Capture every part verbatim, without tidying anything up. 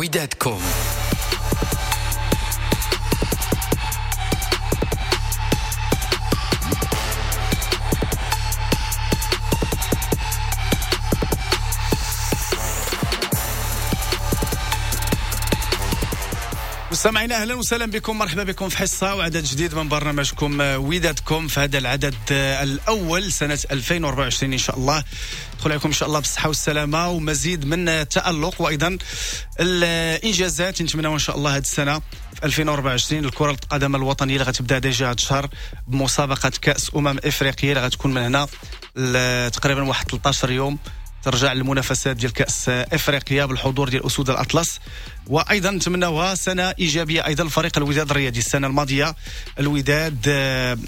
ودادكم. مستمعينا اهلا وسهلا بكم، مرحبا بكم في حصة وعدد جديد من برنامجكم ودادكم في هذا العدد الاول سنة ألفين وأربعة وعشرين ان شاء الله. ندخل عليكم ان شاء الله بالصحة والسلامة ومزيد من التالق وايضا الانجازات نتمناو ان شاء الله هذه السنة في ألفين وأربعة وعشرين. الكره القدم الوطنية اللي غتبدا déjà هذا الشهر بمسابقه كاس امم افريقيا اللي غتكون من هنا تقريبا واحد ثلاثة عشر يوم، ترجع للمنافسات ديال كأس افريقيا بالحضور ديال اسود الاطلس. وايضا نتمناوها سنة ايجابية ايضا لفريق الوداد الرياضي. السنة الماضية الوداد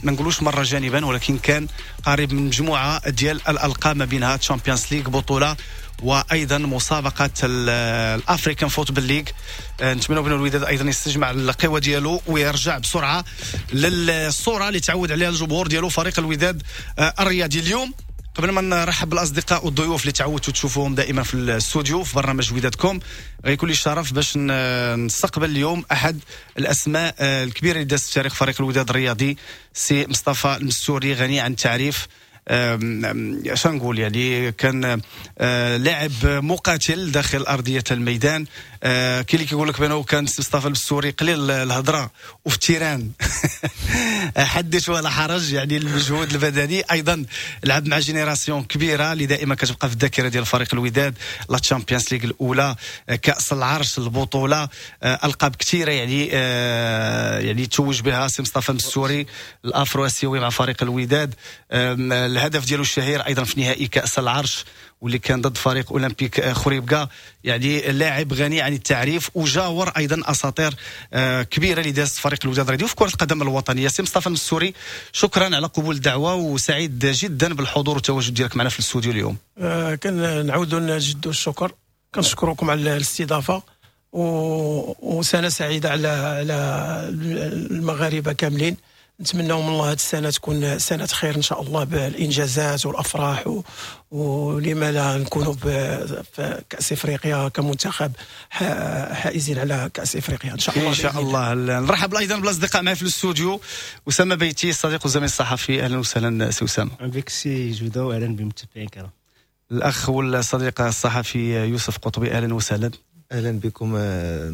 ما نقولوش مرة جانبا، ولكن كان قريب من مجموعة ديال الالقاب ما بينها Champions League بطوله وايضا مسابقة ال African Football League. نتمنوا بان الوداد ايضا يستجمع القوة ديالو ويرجع بسرعة للصورة اللي تعود عليها الجمهور ديالو فريق الوداد الرياضي. اليوم قبل ما نرحب بالاصدقاء والضيوف اللي تعودتوا تشوفوهم دائما في الاستوديو في برنامج ودادكم، غيكون لي الشرف باش نستقبل اليوم احد الاسماء الكبيرة اللي دازت في تاريخ فريق الوداد الرياضي، سي مصطفى المستوري، غني عن التعريف. اش نقول، يعني كان لاعب مقاتل داخل ارضية الميدان. كاين اللي كيقول لك بانه كان مصطفى المستوري قليل الهضرة وفي ال terrain حدث ولا حرج، يعني المجهود البدني. ايضا لعب مع génération كبيرة اللي دائما كتبقى في الذاكرة ديال فريق الوداد، la Champions League الاولى، كاس العرش، البطولة، القاب كثيرة يعني يعني توج بها سي مصطفى المستوري الافرو اسيوي مع فريق الوداد. الهدف ديالو الشهير ايضا في نهائي كاس العرش واللي كان ضد فريق اولمبيك خريبكا. يعني لاعب غني عن التعريف وجاور ايضا اساطير كبيرة اللي دازت فريق الوداد الرياضي في كره القدم الوطنية. سي مصطفى المستوري، شكرا على قبول الدعوة وسعيد جدا بالحضور والتواجد ديالك معنا في الاستوديو اليوم. آه كنعاودوا نجدوا الشكر، كنشكركم على الاستضافة و... وسنة سعيدة على على المغاربة كاملين. نتمنوا من الله هذه السنة تكون سنة خير ان شاء الله بالانجازات والافراح و... ولما لا نكونوا في كاس افريقيا كمنتخب حائزين على كاس افريقيا ان شاء الله. ان شاء الله. نرحب ايضا بالاصدقاء معي في الاستوديو، اسامة بيتي الصديق والزميل الصحفي، اهلا وسهلا سي اسامة. اهلا بك سي جوده واهلا بالمتابعين الكرام. الاخ والصديق الصحفي يوسف قطبي، اهلا وسهلا. اهلا بكم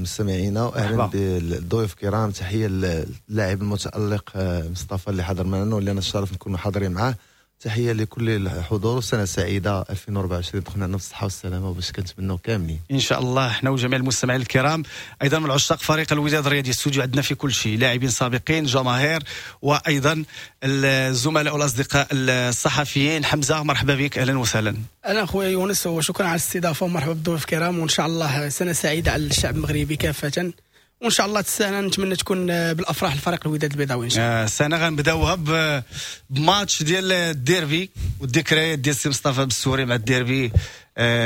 مستمعينا واهلا بالضيوف الكرام. تحية للاعب المتالق مصطفى اللي حضر معنا واللي انا الشرف نكون حاضرين معاه. تحية لكل الحضور وسنة سعيدة ألفين وأربعة وعشرين، دخلنا عندنا بالصحة والسلامة وباش كنتمناو كاملين ان شاء الله حنا وجميع المستمعين الكرام. ايضا من عشاق فريق الوداد الرياضي، الاستوديو عندنا في كل شيء، لاعبين سابقين، جماهير، وايضا الزملاء والاصدقاء الصحفيين. حمزة مرحبا بك، اهلا وسهلا. اهلا خويا يونس وشكرا على الاستضافة ومرحبا بالضيوف الكرام، وان شاء الله سنة سعيدة على الشعب المغربي كافة، وان شاء الله السنة نتمنى تكون بالافراح لفريق الوداد البيضاوي ان شاء الله. السنة غنبداوها بماتش ديال الديربي، والذكريات ديال سي مصطفى المستوري مع الديربي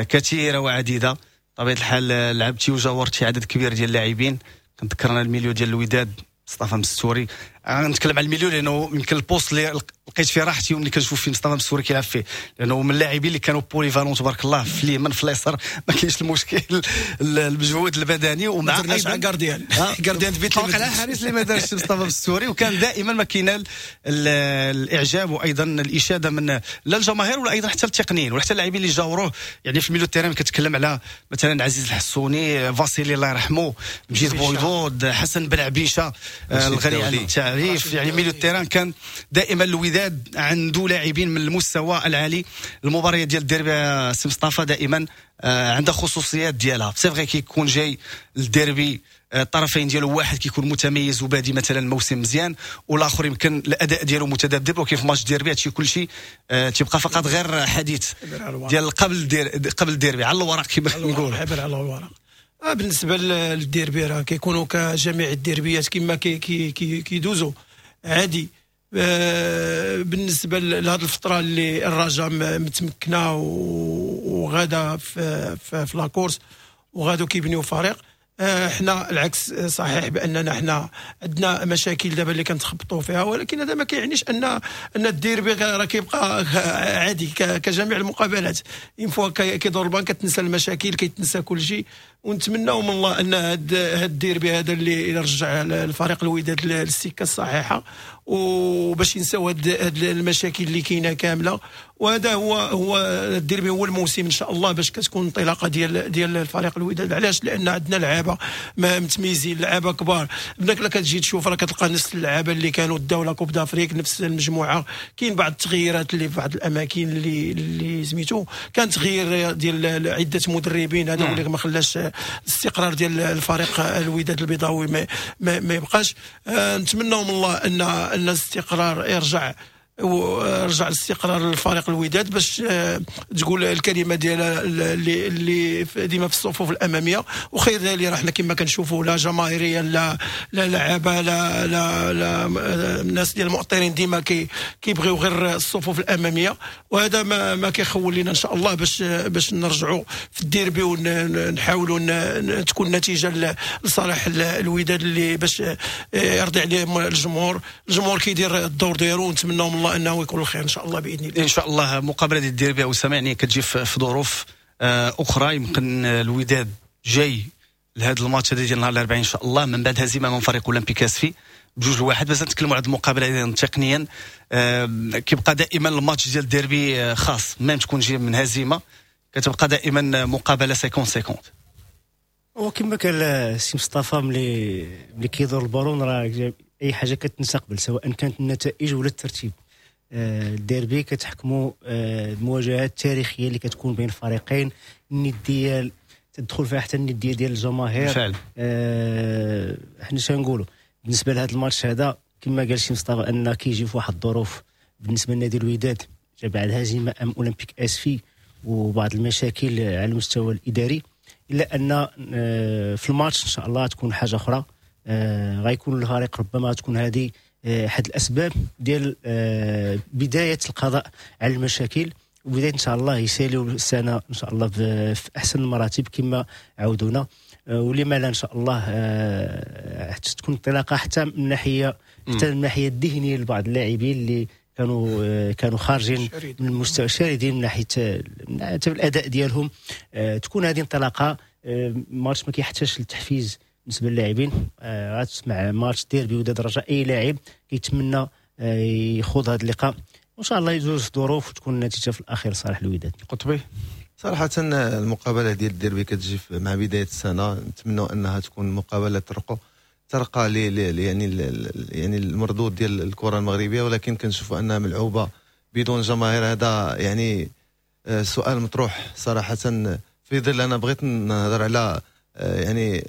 كثيرة وعديده. بطبيعة الحال لعبتي وجاورتي عدد كبير ديال اللاعبين، كنذكرنا ال milieu ديال الوداد مصطفى المستوري. غنتكلم على ال milieu لانه يمكن ال poste اللي لقيت فيه راحتي وملي كنشوف فيه مصطفى المستوري كيلعب فيه، لانه من اللاعبين اللي كانوا polyvalents تبارك الله، في اليمين في اليسار ما كاينش المشكل، المجهود البدني. ومع ايضا gardien gardien de but اللي حارس اللي ما دارش مصطفى المستوري، وكان دائما ما كينال الاعجاب وايضا الاشادة من لا الجماهير ولا ايضا حتى التقنيين ولا حتى اللاعبين اللي جاوروه. يعني في ال milieu terrain كتكلم على مثلا عزيز الحسوني، فاسيلي الله يرحمه، مجيد بويضود، حسن بن عبيشه الغني عن التعريف. يعني milieu terrain كان دائما الوداد عنده لاعبين من المستوى العالي. المباريات ديال الديربي سي مصطفى دائما عندها خصوصيات ديالها. c'est vrai كيكون جاي الديربي الطرفين ديالو واحد كيكون متميز وبادي مثلا موسم مزيان، والاخر يمكن الاداء ديالو متذبذب، ولكن في ماتش ديربي هادشي كلشي تيبقى فقط غير حديث ديال قبل دير قبل الديربي على الورق كما نقول، حبر على الورق. بالنسبة للديربي راه كيكونوا كجميع الديربيات كما كي كي كيدوزوا عادي. بالنسبة لهذه الفترة اللي الرجاء متمكنة وغاده في في, في la course وغادو كيبنيو فريق، احنا العكس صحيح باننا احنا عندنا مشاكل دابا اللي كنتخبطوا فيها، ولكن هذا ما كيعنيش ان ان الديربي راه كيبقى عادي كجميع المقابلات. une fois كيدور البان كتنسى المشاكل، كيتنسى كل شيء. ونتمناو من الله ان هاد هاد الديربي هذا اللي يرجع الفريق الوداد للسكه الصحيحة، وباش ينساو هاد هاد المشاكل اللي كاينه كاملة. وهذا هو هو الديربي هو الموسم ان شاء الله باش كتكون انطلاقة ديال ديال الفريق الوداد. علاش؟ لان عندنا لعابه متميزين، لعابه كبار. بداك لا كتجي تشوف راه كتلقى نفس اللعابه اللي كانوا داو la Coupe d'Afrique، نفس المجموعة. كاين بعض التغييرات اللي في بعض الاماكن اللي اللي سميتو كان تغيير ديال عده مدربين، هذا هو اللي ما خلاش الاستقرار ديال الفريق الوداد البيضاوي ما, ما, ما يبقاش. آه نتمنوا من الله ان ان الاستقرار يرجع، ورجع الاستقرار للفريق الوداد باش تقول الكلمة ديالها اللي اللي ديما في الصفوف الامامية. وخير ذلك راه حنا كما كنشوفوا لا جماهيرية لا لا لعابه لا لا لا الناس ديال المؤطرين ديما كي كيبغيو غير الصفوف الامامية، وهذا ما ما كيخول لنا ان شاء الله باش باش نرجعوا في الديربي ونحاولوا تكون النتيجة لصالح الوداد اللي باش يرضي عليهم الجمهور. الجمهور كيدير الدور ديالو، ونتمناو من الله انه يكون الخير ان شاء الله باذن الله. ان شاء الله. مقابله ديال الديربي اسامة يعني كتجي في ظروف اخرى، يمكن الوداد جاي لهذا الماتش هذا ديال نهار الاربعاء ان شاء الله من بعد هزيمة من فريق اولمبيك اسفي بجوج لواحد. بس نتكلموا على المقابلة تقنيا، كيبقى دائما الماتش ديال الديربي خاص، même تكون جاي من هزيمة كتبقى دائما مقابله خمسين خمسين. وكما قال السي مصطفى ملي ملي كيدور البالون راه اي حاجة كتنسى قبل، سواء كانت النتائج ولا الترتيب. الديربي كتحكموا المواجهات التاريخية اللي كتكون بين الفريقين، الندية تدخل فيها حتى الندية ديال الجماهير. آه حنا شنقولوا بالنسبة لهذا الماتش هذا، كما قال سي مصطفى ان كيجي في واحد الظروف بالنسبة لنادي الوداد جا بعد هزيمة ام اولمبيك اسفي وبعض المشاكل على المستوى الاداري، الا ان في الماتش ان شاء الله تكون حاجة اخرى. آه غيكون الفريق ربما تكون هذه احد الاسباب ديال آه بداية القضاء على المشاكل، وبداية ان شاء الله يساليو السنة ان شاء الله في احسن المراتب كما عودونا. آه ولما لا ان شاء الله آه تكون انطلاقة حتى من ناحية حتى من الناحية الذهنية لبعض اللاعبين اللي كانوا آه كانوا خارجين من المستوى، شاردين من ناحية حتى الاداء ديالهم. آه تكون هذه انطلاقة. آه ماتش ما كيحتاجش للتحفيز بالنسبة للاعبين. آه غتسمع ماتش ديربي وداد رجاء، اي لاعب كيتمنى آه يخوض هذا اللقاء، وان شاء الله يدوز في ظروف وتكون النتيجة في الاخير صالح الوداد. قطبي صراحة المقابلة ديال الديربي كتجي مع بداية السنة، نتمنى انها تكون مقابله ترقى ترقى ل يعني يعني المردود ديال الكره المغربية، ولكن كنشوفوا انها ملعوبه بدون جماهير. هذا يعني سؤال مطروح صراحة، في ظل انا بغيت نهضر على يعني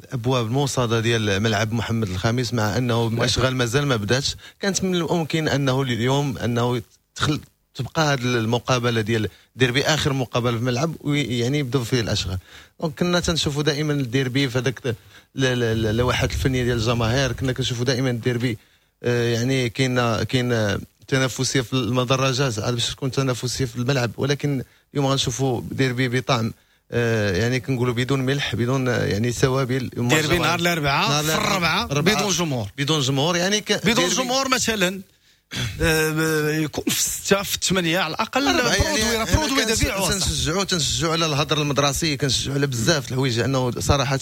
الابواب الموصده ديال ملعب محمد الخامس، مع انه الاشغال مازال ما بداتش. كانت من الممكن انه اليوم انه تخل تبقى هذه المقابلة ديال ديربي اخر مقابله في الملعب ويعني يبداو فيه الاشغال. donc كنا تنشوفوا دائما الديربي في هذاك اللوحات الفنية ديال الجماهير، كنا كنشوفوا دائما الديربي يعني كاين كاين تنافسية في المدرجات باش تكون تنافسية في الملعب، ولكن اليوم غنشوفوا ديربي بطعم يعني كنقولوا بدون ملح، بدون يعني توابل. ديربي نهار الاربعاء في الربعه بدون جمهور، بدون جمهور يعني ك... بدون جمهور مثلا يكون في ستة في ثمانية على الأقل. produit produit دبيع. تنشجعوا تنشجعوا على الهدر المدرسي، كنشجعوا على بزاف الحوايج، لأنه صراحة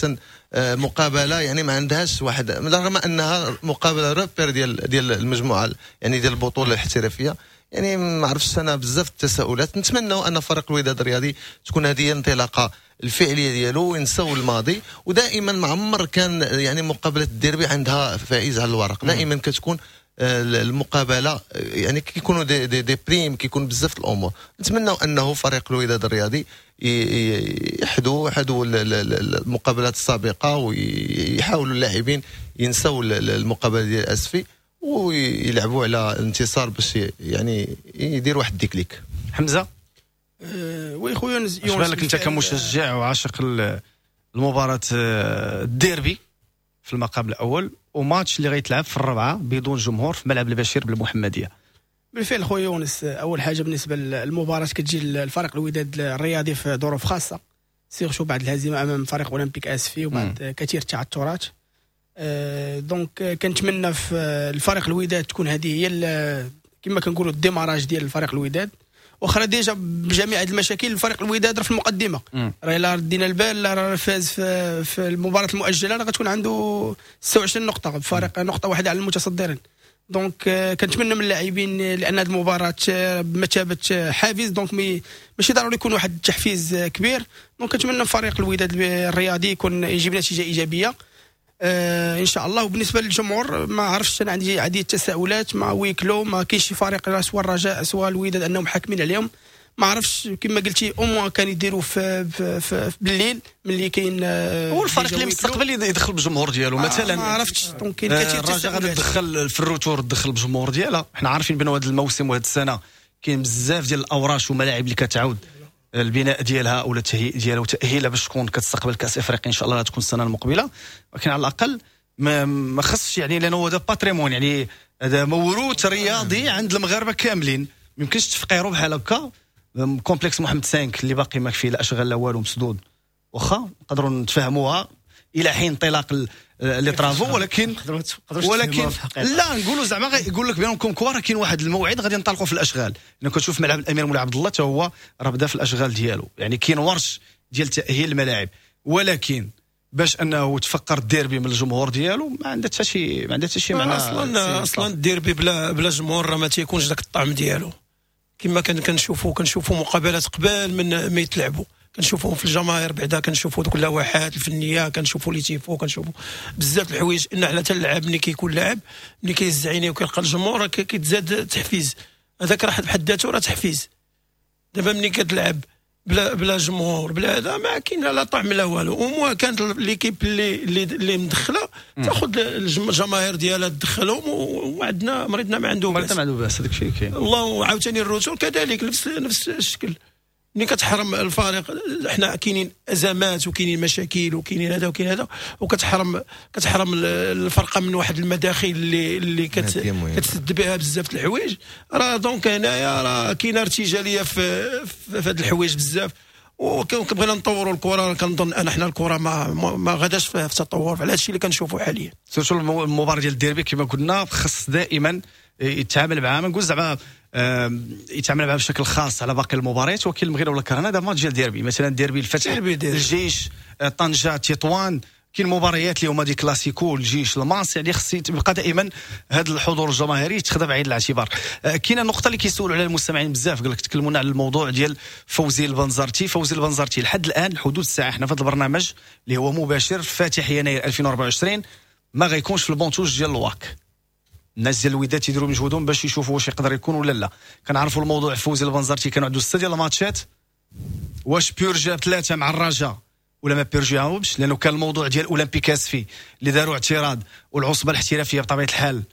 مقابلة يعني ما عندهاش واحد، رغم أنها مقابلة repère ديال ديال المجموعة يعني ديال البطولة الاحترافية، يعني ما عرفتش أنا بزاف التساؤلات. نتمنى أن فريق الوداد الرياضي تكون هذه الانطلاقة الفعلية ديالو وينساو الماضي. ودائما ما عمر كان يعني مقابلة الديربي عندها فائز على الورق، دائما كتكون المقابلة يعني كيكونوا des, des, des primes، كيكون بزاف الامور. نتمنى انه فريق الوداد الرياضي يحدوا يحدوا المقابلات السابقة ويحاولوا اللاعبين ينسوا المقابلة ديال اسفي ويلعبوا على الانتصار باش يعني يدير واحد déclic. حمزة أه oui خويا يونس، اش بالك انت كمشجع وعاشق المباراة الديربي في المقام الاول وماتش اللي غيتلعب في الربعه بدون جمهور في ملعب البشير بالمحمديه؟ بالفعل خويا يونس، اول حاجة بالنسبة للمباراة كتجي الفريق الوداد الرياضي في ظروف خاصة، surtout بعد الهزيمة امام فريق اولمبيك اسفي وبعد كثير التعثرات. أه donc كنتمنى في الفريق الوداد تكون هذه هي كما كنقولوا ال démarrage ديال الفريق الوداد، واخا déjà بجميع هذه المشاكل الفريق الوداد راه في المقدمة، راه الا ردينا البال راه فاز في, في المباراة المؤجلة راه غتكون عنده ستة وعشرين نقطة، بفارق نقطة واحدة على المتصدرين. donc كنتمنى من اللاعبين لان هذه المباراة بمثابة حافز، donc ماشي ضروري يكون واحد التحفيز كبير. donc كنتمنى من فريق الوداد الرياضي يكون يجيب نتيجة ايجابية آه ان شاء الله. وبالنسبة للجمهور ما عرفتش، انا عندي عديد التساؤلات مع huis clos، ما كاينش شي فريق سواء الرجاء سواء الوداد انهم حاكمين عليهم. ما عرفتش كما قلتي au moins كان يديروا في, في, في بالليل ملي كاين هو الفريق اللي مستقبل يدخل بالجمهور ديالو مثلا. ما عرفتش donc كاين كثير الرجاء غادي تدخل في ال retour تدخل بالجمهور ديالها. حنا عارفين بان هذا الموسم وهذه السنة كاين بزاف ديال الاوراش وملاعب اللي كتعاود البناء ديالها ولا التهيئ ديالها وتاهيلها باش تكون كتستقبل كاس افريقيا ان شاء الله تكون السنة المقبلة. ولكن على الاقل ما, ما خصش يعني، لانه هذا patrimoine، يعني هذا موروث رياضي عند المغاربة كاملين، ما يمكنش تفقيروا بحال هكا. complexe محمد cinq اللي باقي ما فيه لا اشغال لا والو مسدود، واخا نقدروا نتفاهموها الى حين انطلاق les travaux، ولكن ولكن لا نقولوا زعما يقول لك بانكم كوا راه كاين واحد الموعد غادي ننطلقوا في الاشغال. لان كتشوف ملعب الامير مولاي عبد الله حتى هو راه بدا في الاشغال ديالو، يعني كاين ورش ديال تاهيل الملاعب، ولكن باش انه تفقر الديربي من الجمهور ديالو ما عندها حتى شي ما عندها حتى شي معنى. اصلا اصلا الديربي بلا بلا جمهور راه ما تيكونش ذاك الطعم ديالو. كما كان كنشوفوا كنشوفوا مقابلات قبل من ما يتلعبوا، كنشوفوهم في الجماهير بعدا، كنشوفوا دوك اللوحات الفنية، كنشوفوا les tifos، كنشوفوا بزاف الحوايج. ان حنا حتى اللاعب ملي كيكون لاعب ملي كيهز عينيه وكيلقى الجمهور كيتزاد تحفيز، هذاك راه بحد ذاته راه تحفيز. دابا ملي كتلعب بلا بلا جمهور بلا هذا ما كاين لا طعم لا والو. au moins كانت l'équipe اللي اللي اللي مدخله تاخذ الجماهير ديالها تدخلهم، وعندنا مريضنا ما عنده باس، ما عنده باس هذاك الشيء كاين الله. وعاوتاني ال retour كذلك نفس نفس الشكل، ملي كتحرم الفريق، حنا كاينين ازمات وكاينين مشاكل وكاينين هذا وكاين هذا، وكتحرم كتحرم الفرقة من واحد المداخل اللي اللي كت كتسد بها بزاف الحوايج. راه donc هنايا راه كاينه ارتجاليه في في هاد الحوايج بزاف، وكنبغينا نطوروا الكره. كنظن ان حنا الكره ما ما غاداش في التطور على هادشي اللي كنشوفوا حاليا. surtout المباراة ديال الديربي كما قلنا خص دائما يتعامل معها، ما نقول زعما يتعامل معها بشكل خاص على باقي المباريات، ولكن المغرب ولا كرهنا هذا ماتش ديال ديربي، مثلا ديربي الفتح، ديربي ديربي. الجيش، طنجه، تطوان، كاين مباريات اللي هما des classicos، الجيش، الماس، يعني خص يبقى دائما هذا الحضور الجماهيري يتخذ بعين الاعتبار. كاينه النقطة اللي كيسولوا عليها المستمعين بزاف، قال لك تكلمونا على الموضوع ديال فوزي البنزرتي. فوزي البنزرتي لحد الان حدود الساعة حنا في هذا البرنامج اللي هو مباشر فاتح يناير ألفين وأربعة وعشرين ما غيكونش في ال banc de touche ديال الواك. الناس ديال الوداد تيديروا مجهودهم باش يشوفوا واش يقدر يكون ولا لا. كنعرفوا الموضوع فوزي البنزرتي كانوا عنده ستة ديال الماتشات، واش purgea ثلاثة مع الرجاء ولا ما purgeاهمش، لانه كان الموضوع ديال اولمبيك اسفي اللي داروا اعتراض، والعصبه الاحترافية بطبيعة الحال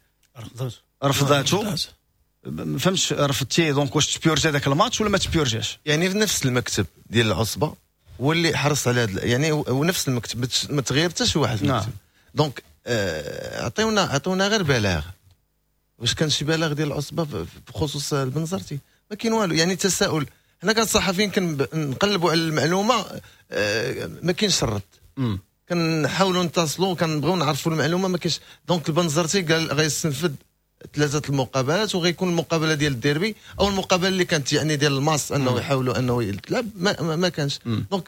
رفضاتو. ما فهمتش رفضتي، donc واش ت purger ذاك الماتش ولا ما ت purgeاش؟ يعني في نفس المكتب ديال العصبة هو اللي حرص على هذا، يعني ونفس المكتب ما تغير حتى شي واحد في المكتب. نعم. donc عطيونا عطيونا غير بلاغ، واش كان شي بلاغ ديال العصبة بخصوص البنزرتي؟ ما كاين والو. يعني تساؤل، حنا كصحفيين كنقلبوا على المعلومة، ما كاينش الرد، كنحاولوا نتصلوا كنبغيو نعرفوا المعلومة ما كاينش. donc البنزرتي قال غيستنفذ ثلاثة المقابلات وغيكون المقابلة ديال الديربي او المقابلة اللي كانت يعني ديال الماس انه يحاولوا انه يتلعب ما, ما, ما كانش. donc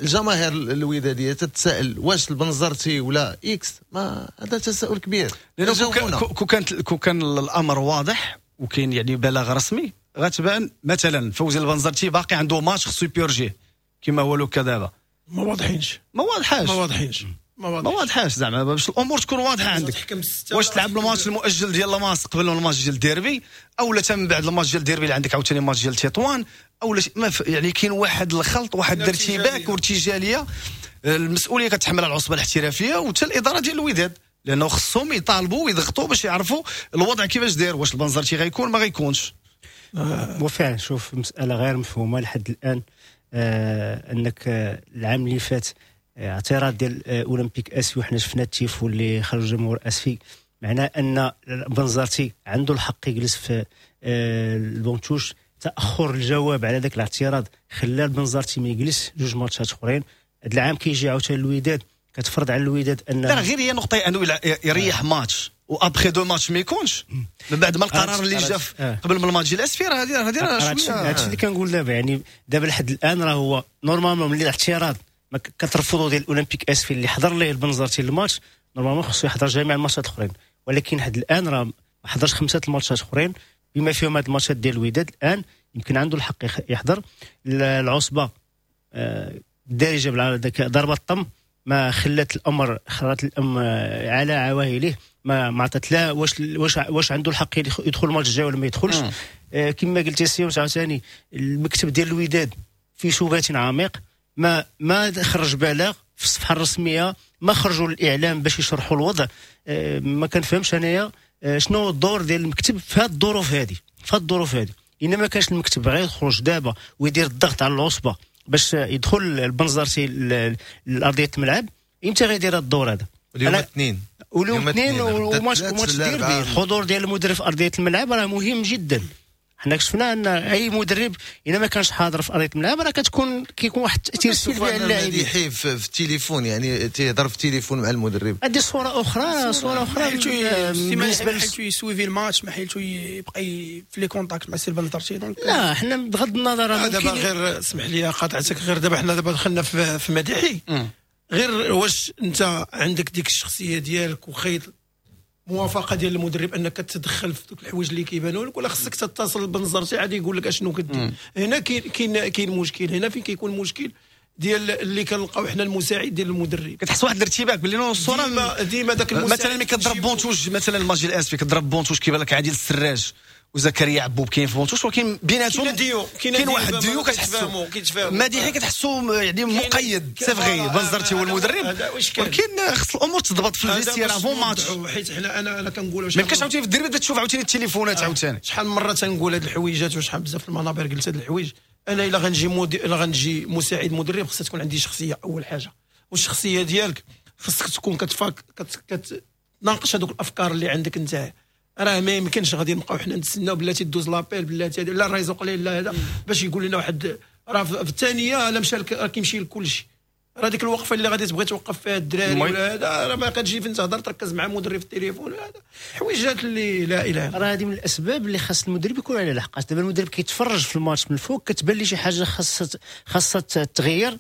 الجماهير الوداديه تتساءل واش البنزرتي ولا X، ما هذا تساؤل كبير. لانه كو كانت كو كان الامر واضح وكاين يعني بلاغ رسمي غتبان مثلا فوزي البنزرتي باقي عنده ماتش خصو ي purger كما هو le cas دابا. ما واضحينش، ما واضحاش، ما واضحينش، ما واضحاش زعما باش الامور تكون واضحة عندك. واش تلعب الماتش المؤجل ديال الماس قبل الماتش ديال الديربي، او لا من بعد الماتش ديال الديربي اللي عندك عاوتاني ماتش ديال تطوان، او ما ف... يعني كاين واحد الخلط، واحد الارتباك وارتجاليه. المسؤولية كتحملها العصبة الاحترافية وحتى الادارة ديال الوداد، لانه خصهم يطالبوا ويضغطوا باش يعرفوا الوضع كيفاش داير، واش البنزرتي غيكون ما غيكونش. وفعلا شوف مسالة غير مفهومه لحد الان، آه انك العام اللي فات اعتراض ديال اولمبيك اسفي وحنا شفنا التيفو اللي خرج جمهور اسفي، معناه ان بنزرتي عنده الحق يجلس في ال banc de touche. تاخر الجواب على ذاك الاعتراض خلى البنزرتي ما يجلس جوج ماتشات اخرين. هذا العام كيجي عاوتاني الوداد كتفرض على الوداد ان لا غير هي نقطة انه يريح ماتش و après deux matchs ما يكونش من بعد ما القرار اللي جا قبل من الماتش ديال اسفي، راه هذه هذه راه شوية. هادشي اللي كنقول دابا، يعني دابا لحد الان راه هو normalement ملي الاعتراض ما كترفضوا ديال الاولمبيك اسفي اللي حضر ليه البنزرتي الماتش، normalement خصو يحضر جميع الماتشات الاخرين، ولكن لحد الان راه ما حضرش خمسة الماتشات اخرين بما فيهم هاد الماتشات ديال الوداد. الان يمكن عنده الحق يحضر. العصبة الدارجة ضربه الطم ما خلت الامر، خلت الام على عواهله، ما ما عطات لا واش واش واش عنده الحق يدخل الماتش الجاي ولا ما يدخلش. آه كما قلت سي عاوتاني المكتب ديال الوداد في شبات عميق، ما ما خرج بلاغ في الصفحة الرسمية، ما خرجوا للاعلام باش يشرحوا الوضع. آه ما كنفهمش انايا آه شنو الدور ديال المكتب في هذه الظروف هذه، في هذه الظروف هذه. الا ما كانش المكتب غير يخرج دابا ويدير الضغط على العصبة باش يدخل البنزرتي لارضيه الملعب، امتى غيدير هذا الدور هذا؟ اليوم الاثنين، واليوم الاثنين وماتش وماتش ديربي. الحضور ديال المدرب في ارضية الملعب راه مهم جدا. حنا شفنا ان اي مدرب الا ما كانش حاضر في ارضية الملعب راه كتكون كيكون واحد التاثير سلبي على اللاعبين. في التليفون، يعني تيهضر في التليفون مع المدرب، هذه صوره اخرى، صوره اخرى بالنسبة لحيتو ي suivi الماتش، ما حيتو يبقى في les contacts مع سي البنزرتي. donc لا حنا بغض النظر دابا غير اسمح لي قاطعتك، غير دابا حنا دابا دخلنا في, في مديحي. غير واش انت عندك ديك الشخصية ديالك وخيط موافقة ديال المدرب انك تتدخل في دوك الحوايج اللي كيبانوا لك، ولا خصك تتصل بالبنزرتي عاد يقول لك اشنو كدير؟ هنا كاين كاين كاين مشكل، هنا فين كيكون مشكل ديال اللي كنلقاو حنا المساعد ديال المدرب، كتحس واحد الارتباك باللي non الصورة ديما ديما داك المساعد. مثلا ملي كضرب banc de touche، مثلا الماتش ديال اسفي كضرب banc de touche كيبان لك عادل السراج وزكريا عبوب كاين في banc de touche، ولكن بيناتهم كاين واحد ديو كتحسو مديحي كتحسو يعني مقيد. c'est vrai بنزرتي هو المدرب، ولكن خص الامور تضبط في ال vestiaire avant match. حيت حنا انا انا كنقول ما يمكنش عاوتاني في الديربي تبدا تشوف عاوتاني التليفونات عاوتاني. شحال من مرة تنقول هاد الحويجات وشحال بزاف المنابر قلت هاد الحوايج. انا الا غنجي مدير، الا غنجي مساعد مدرب خصها تكون عندي شخصية اول حاجة، والشخصية ديالك خصك تكون كتفاك كتناقش هذوك الافكار اللي عندك انت. راه ما يمكنش غادي نبقاو حنا نتسناو بلاتي دوز l'appel بلاتي لا ال réseau قليل لا هذا باش يقول لنا واحد راه في الثانية لا مشى راه كيمشي لكل شيء. راه ديك الوقفة اللي غادي تبغي توقف فيها الدراري ولا هذا راه ما كتجي فين تهضر تركز مع مدرب في التليفون، هذا حويجات اللي لا اله. راه هذه من الاسباب اللي خاص المدرب يكون على لحقاش دابا المدرب كيتفرج في الماتش من الفوق كتبان لي شي حاجة خاصها خاصها تغير،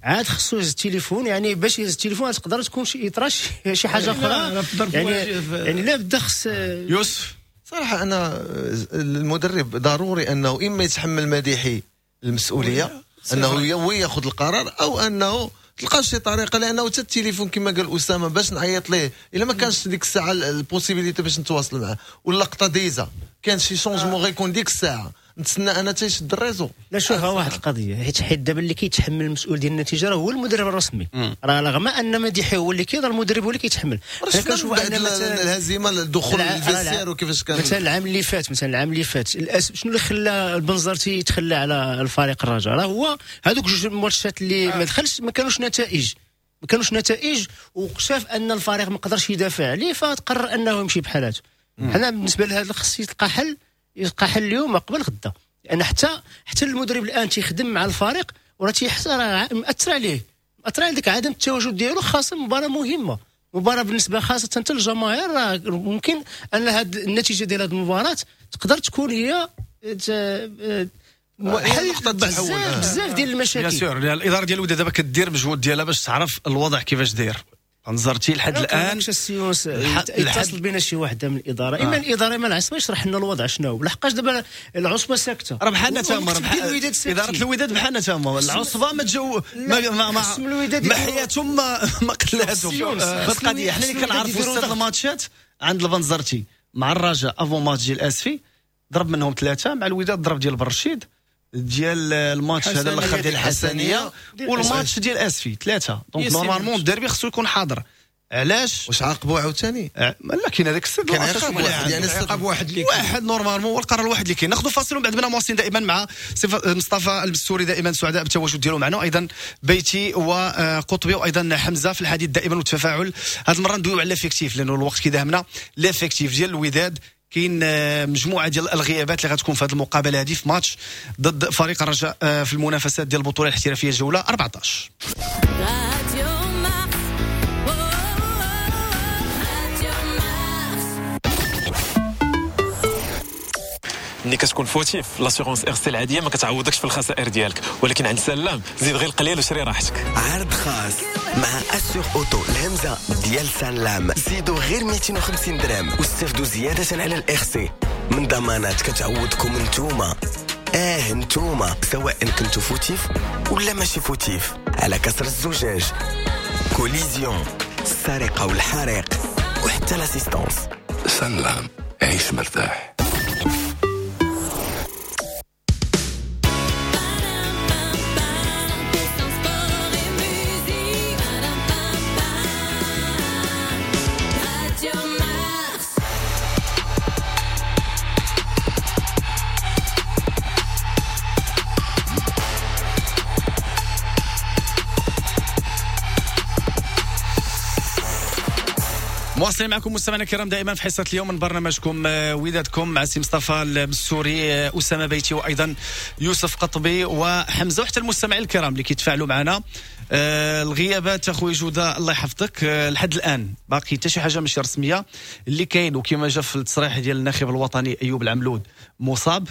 عاد خصو يهز التليفون، يعني باش يهز التليفون تقدر تكون شي يطرا شي حاجة اخرى، يعني يعني لا بد خص. يوسف صراحة انا المدرب ضروري انه اما يتحمل مديحي المسؤولية انه هو ياخذ القرار، او انه تلقى شي طريقه، لانه حتى التليفون كما قال اسامة باش نعيط ليه الا ما كانش ديك الساعة ال possibilité باش نتواصل معاه، واللقطه déjà كان شي changement غيكون ديك الساعة نتسنى انا تيشد ال réseau. لا شوف واحد القضية، حيت حيت دابا اللي كيتحمل المسؤول ديال النتيجة راه هو المدرب الرسمي، راه رغم ان مديحي هو اللي كيهضر المدرب هو اللي كيتحمل. كنشوف ان مثلا الهزيمة الدخول لل vestiaire وكيفاش كان مثلا العام اللي فات، مثلا العام اللي فات شنو اللي خلى البنزرتي يتخلى على الفريق الرجاء؟ راه هو هذوك جوج الماتشات اللي ما دخلش ما كانوش نتائج، ما كانوش نتائج، وشاف ان الفريق ما قدرش يدافع عليه فتقرر انه يمشي بحالاته. حنا بالنسبة لهذا خص يلقى حل، يلقى حل اليوم قبل غدا، لان حتى حتى المدرب الان تيخدم مع الفريق وراه تيحس راه مأثر عليه، مأثر على ديك عدم التواجد ديالو، خاصة مباراة مهمة، مباراة بالنسبة خاصة حتى للجماهير. راه ممكن ان هذه النتيجة ديال هذه المباراة تقدر تكون هي حل بزاف بزاف ديال المشاكل. bien sûr الادارة ديال الوداد دابا كدير مجهود ديالها باش تعرف الوضع كيفاش داير. نظرتي لحد الان يتصل بنا شي واحد من الادارة، اما الادارة اما العصبة يشرح لنا الوضع شنو، لحقاش دابا العصبة ساكته. راه بحالنا تما، ادارة الوداد بحالنا تما، العصبة ما تجو ما ما ما, ما حياتهم ما, ما قلاتهم في القضية. حنا اللي كنعرفوا ست الماتشات عند البنزرتي مع الرجاء avant match ديال اسفي ضرب منهم ثلاثة، مع الوداد ضرب ديال برشيد ديال الماتش هذا الاخر ديال الحسنيه والماتش ديال اسفي ثلاثة. donc normalement الديربي خصو يكون حاضر. علاش واش عاقبوه عاوتاني؟ لا كاين هذاك السد واحد، يعني عقاب واحد اللي واحد normalement هو القرار الواحد اللي كاين. ناخذ فاصل ومن بعد بنا مواصلين دائما مع مصطفى المستوري، دائما سعداء بالتواجد ديالو معنا، وايضا بيتي وقطبي وايضا حمزة في الحديث دائما والتفاعل. هذه المرة ندويو على l'effectif لانه الوقت كيداهمنا. l'effectif ديال الوداد كاين مجموعة ديال الغيابات اللي غتكون في هذه المقابلة هذه في ماتش ضد فريق الرجاء في المنافسات ديال البطولة الاحترافية الجولة أربعطاش. ملي كتكون fautif l'assurance RC العادية ما كتعوضكش في الخسائر ديالك، ولكن عند سلام زيد غير القليل وشري راحتك. عرض خاص مع Assur Auto الهمزة ديال سلام، زيدوا غير مئتين وخمسين درهم واستفدوا زيادة على ال RC من ضمانات كتعوضكم نتوما. اه نتوما سواء كنتو fautif ولا ماشي fautif، على كسر الزجاج، collision، السرقة والحريق، وحتى l'assistance. سلام، عيش مرتاح. مواصلين معكم مستمعينا الكرام دائما في حصة اليوم من برنامجكم ودادكم مع سي مصطفى المسوري، اسامة بيتي، وايضا يوسف قطبي وحمزة، وحتى المستمعين الكرام اللي كيتفاعلوا معنا. الغيابات اخويا جوده الله يحفظك، لحد الان باقي حتى شي حاجة ماشي رسمية اللي كاين، وكما جا في التصريح ديال الناخب الوطني ايوب العملود مصاب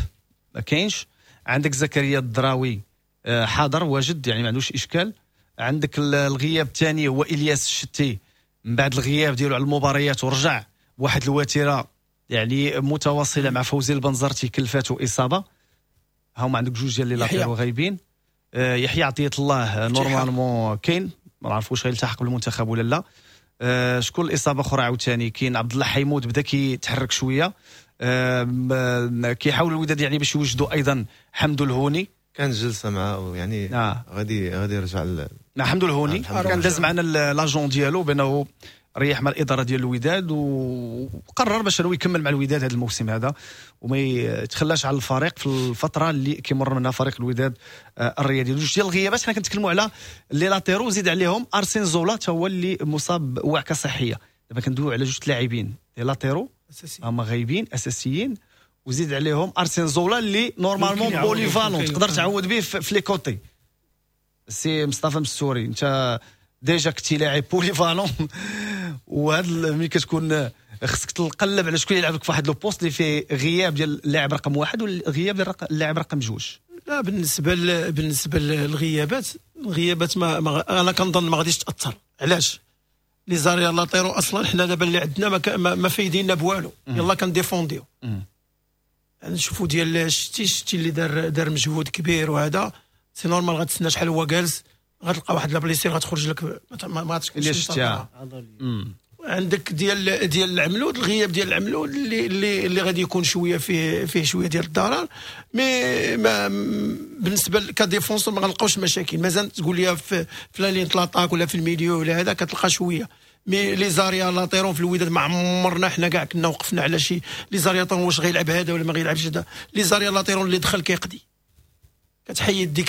ما كاينش. عندك زكريا الدراوي حاضر واجد يعني ما عندوش اشكال. عندك الغياب الثاني هو الياس الشتي، من بعد الغياب ديالو على المباريات ورجع بواحد الوتيره يعني متواصلة مع فوزي البنزرتي كلفاتو اصابه. هما عندك جوج ديال les latéraux غايبين. آه يحيى عطية الله normalement كاين، ما نعرفوش غيلتحق بالمنتخب ولا لا. آه شكون الاصابة اخرى عاوتاني؟ كاين عبد الله حيمود بدا كيتحرك شوية. آه كيحاول الوداد يعني باش يوجدوا ايضا حمدو الهوني، كان جلسه معاه يعني آه. غادي غادي يرجع ل... مع حمدو الهوني. كان داز معنا l'agent ديالو بانه ريح مع الادارة ديال الوداد وقرر باش هو يكمل مع الوداد هذا الموسم هذا وما يتخلاش على الفريق في الفترة اللي كيمر منها فريق الوداد الرياضي. جوج ديال الغيابات حنا كنتكلموا على les latéraux، زيد عليهم ارسين زولا حتى هو اللي مصاب بوعكه صحية. دابا كندويو على جوج لاعبين les latéraux هما غايبين اساسيين، وزيد عليهم ارسين زولا اللي normalement polyvalent تقدر تعوض به في les côtés. سي مصطفى مستوري انت déjà كنتي لاعب polyvalent، وهذا ملي كتكون خصك تقلب على شكون يلعب لك في واحد le poste اللي فيه غياب ديال اللاعب رقم واحد والغياب ديال اللاعب رقم جوج. لا بالنسبة ل... بالنسبة للغيابات، الغيابات ما... ما انا كنظن ما غاديش تاثر. علاش؟ les arrières latéraux اصلا حنا دابا اللي عندنا ما, ك... ما... ما فايدينا بوالو، يلا كنديفونديو. نشوفوا ديال شتي شتي اللي دار دار مجهود كبير وهذا c'est normal غتسنى شحال هو جالس، غتلقى واحد la blessure غتخرج لك ما غاتكونش. عندك ديال ديال العملود، الغياب ديال العملود اللي اللي اللي غادي يكون شوية فيه فيه شوية ديال الضرر، mais ما بالنسبة ك défenseur ما غنلقاوش مشاكل. مازال تقول لي في في la ligne l'attaque ولا في ال milieu ولا هذا كتلقى شوية، mais les arrières latéraux في الوداد ما عمرنا حنا كاع كنا وقفنا على شي les arrières واش غيلعب هذا ولا ما غيلعبش هذا. les arrières latéraux اللي دخل كيقضي، كتحيد ديك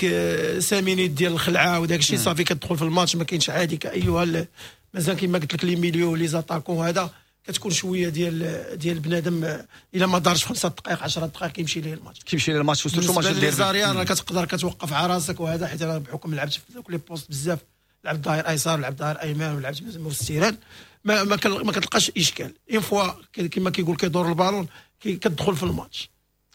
cinq minutes ديال الخلعة وداك الشيء صافي كتدخل في الماتش ما كاينش عادي كايها. مازال كيما قلت لك les milieux les attaquants هذا كتكون شوية ديال ديال بنادم الا ما دارش خمسة دقائق عشرة دقائق كيمشي ليه الماتش، كيمشي ليه الماتش. و surtout match ديال les arrières كتقدر كتوقف على راسك وهذا، حيت انا بحكم لعبت في دوك les postes بزاف، لعبت ظهير ايسر لعبت ظهير ايمن ولعبت في ال terrain، ما ما كتلقاش اشكال. une fois كيما كيقول كيدور البالون كتدخل في الماتش.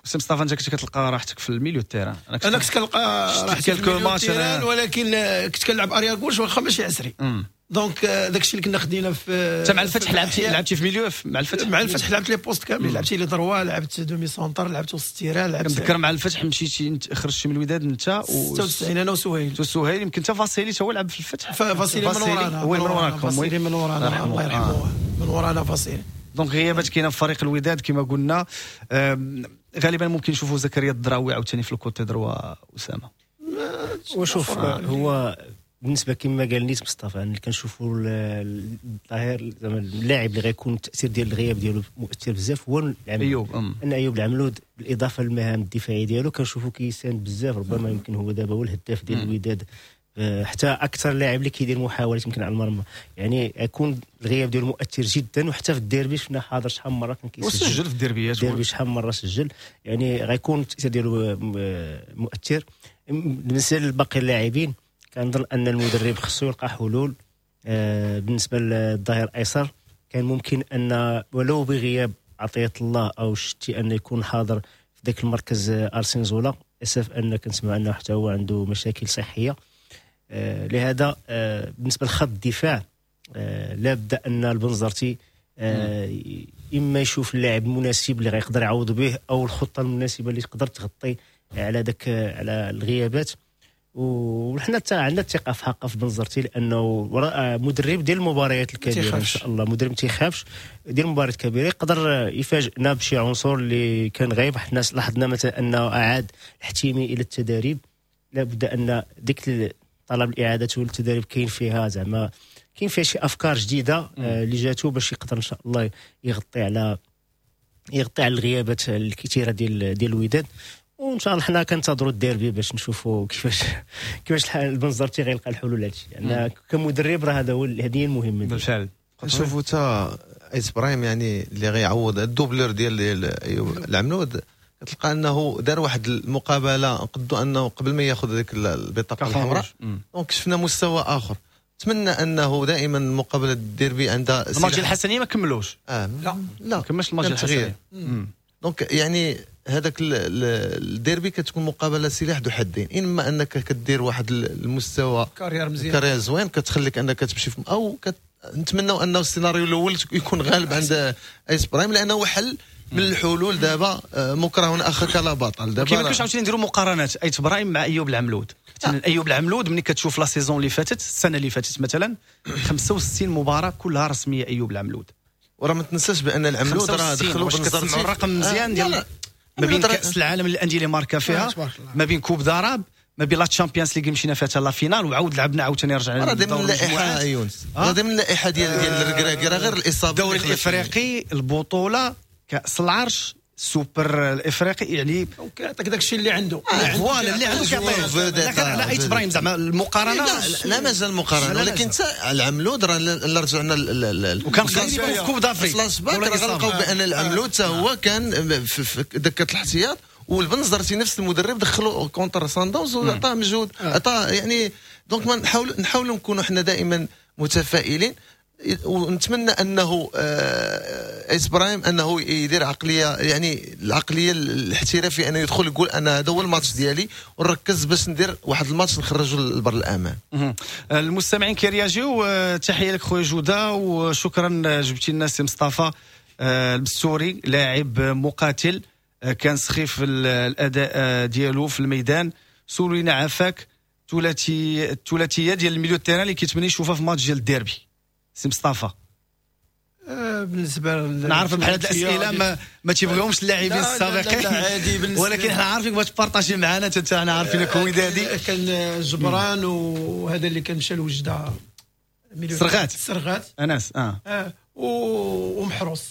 سي مصطفى انت كنت كتلقى راحتك في ال milieu terrain؟ انا كنت كنلقى راحتي في ال milieu terrain، ولكن كنت كنلعب arrière gauche واخا ماشي عسري. donc داكشي اللي كنا خدينا في انت مع الفتح لعبتي لعبتي في milieu مع الفتح؟ مع الفتح لعبت les postes كاملين، لعبت les droits، لعبت demi-centre، لعبت وسط terrain، لعبت. كنتذكر مع الفتح مشيتي خرجتي من الوداد انت و ستة وتسعين انا وسهيل. وسهيل يمكن انت فاسيلي تا هو لعب في الفتح. فاسيلي من ورانا، هو من وراكم، فاسيلي من ورانا الله يرحمه، من ورانا فاسيلي. donc غيابات كاينه في فريق الوداد كما قلنا. غالبا ممكن نشوفوا زكريا الدراوي عاوتاني في ال côté droit. اسامة وشوف هو بالنسبة كما قال نيت مصطفى اللي كنشوفوا الظاهر زعما اللاعب اللي غيكون التاثير ديال الغياب ديالو مؤثر بزاف هو ايوب. ان ايوب العملود بالاضافة للمهام الدفاعية ديالو كنشوفوا كيساند بزاف، ربما يمكن هو دابا هو الهداف ديال الوداد، حتى اكثر لاعب اللي كيدير محاولات يمكن على المرمى، يعني يكون الغياب ديالو مؤثر جدا. وحتى في الديربي شفنا حاضر شحال من مرة كان كيسجل، وسجل في الديربيات، الديربي شحال من مرة سجل، يعني غيكون التاثير ديالو مؤثر. بالنسبة لباقي اللاعبين كنظن ان المدرب خصو يلقى حلول. بالنسبة للظهير الايسر كان ممكن ان ولو بغياب عطية الله او شتي ان يكون حاضر في ذاك المركز ارسين زولا، اسف ان كنسمع انه حتى هو عنده مشاكل صحية. آه لهذا آه بالنسبة لخط الدفاع آه لابد ان البنزرتي آه اما يشوف اللاعب المناسب اللي غيقدر يعوض به، او الخطة المناسبة اللي تقدر تغطي على داك على الغيابات. وحنا عندنا الثقة في حقه في بنزرتي، لانه مدرب ديال المباريات الكبيرة ان شاء الله، مدرب ما تيخافش ديال المباريات الكبيرة، يقدر يفاجئنا بشي عنصر اللي كان غايب. حنا لاحظنا مثلا انه اعاد الحتيمي الى التدريب، لابد ان ديك طلب الاعادة والتدريب كاين فيها زعما كاين فيها شي افكار جديدة اللي جاتو باش يقدر ان شاء الله يغطي على يغطي على الغيابات الكثيرة ديال ديال الوداد. وان شاء الله حنا كنتظروا الديربي باش نشوفوا كيفاش كيفاش البنزرتي غيلقى الحلول لهادشي، لان كمدرب راه هذا هو هذه هي المهمة بالفعل. نشوفوا تا ايت برايم يعني اللي غيعوض ال doublure ديال العملود، كتلقى انه دار واحد المقابلة قدو انه قبل ما ياخذ هذيك البطاقة الحمراء، donc شفنا مستوى اخر. نتمنى انه دائما مقابله الديربي عندها الماتش الحسنيه ما كملوش. آه لا لا ما كملش الماتش الحسنيه. donc يعني هذاك الديربي كتكون مقابله سلاح ذو حدين، اما انك كدير واحد المستوى carrière مزيان، carrière زوين كتخليك انك تمشي في او كت... نتمنوا انه السيناريو الاول يكون غالب عند ايس برايم، لانه حل من الحلول دابا. مكره اخاك لا بطل. دابا كيما كنتش عاوتاني نديروا مقارنات ايت برايم مع ايوب العملود. مثلا ايوب العملود ملي كتشوف la saison اللي فاتت، السنة اللي فاتت مثلا خمسة وستين مباراة كلها رسمية ايوب العملود. وراه ما تنساش بان العملود راه دخلوا بنزرتي الرقم مزيان ديال ما بين كاس العالم للاندية اللي ماركا فيها، ما بين coupe d'Arabe، ما بين la Champions League مشينا فيها la finale وعاود لعبنا عاوتاني رجعنا. راه ضمن اللائحة يونس، راه ضمن اللائحة ديال ديال الركراكي، راه غير الاصابة. الدوري الافريقي، البطولة، كاس العرش، السوبر الافريقي، يعني كيعطيك داك الشيء اللي عنده. voilà اللي عنده كيعطيه. لكن على ايت برايم زعما المقارنة لا مازال المقارنة، ولكن انت العملود راه رجعنا وكان قريب في coupe d'Afrique فلاش باك، راه غنلقاو بان العملود حتى هو كان في دكه الاحتياط، والبنزرتي نفس المدرب دخلوا contre سانداونز وعطاه مجهود، عطاه يعني. donc ما نحاول نحاولوا نكونوا حنا دائما متفائلين، ونتمنى انه ايس برايم انه يدير عقلية، يعني العقلية الاحترافية، انه يدخل يقول انا هذا هو الماتش ديالي ونركز باش ندير واحد الماتش نخرجه للبر الامان. المستمعين كيرياجيو، تحية لك خويا جوده وشكرا جبتي لنا سي مصطفى البستوري، لاعب مقاتل كان سخيف الاداء ديالو في الميدان. سولينا عافاك الثلاثي الثلاثية ديال ال milieu terrain اللي كيتمنى يشوفها في ماتش ديال الديربي سي مصطفى. بالنسبة نعرف بحال هاد الاسئلة ما ما تيبغيهمش اللاعبين السابقين، ولكن حنا عارفينك بغيت تبارطاجي معنا انت، انا عارفينك ودادي. كان جبران وهذا اللي كان مشى لوجده سرغات سرغات انس اه, آه. ومحروس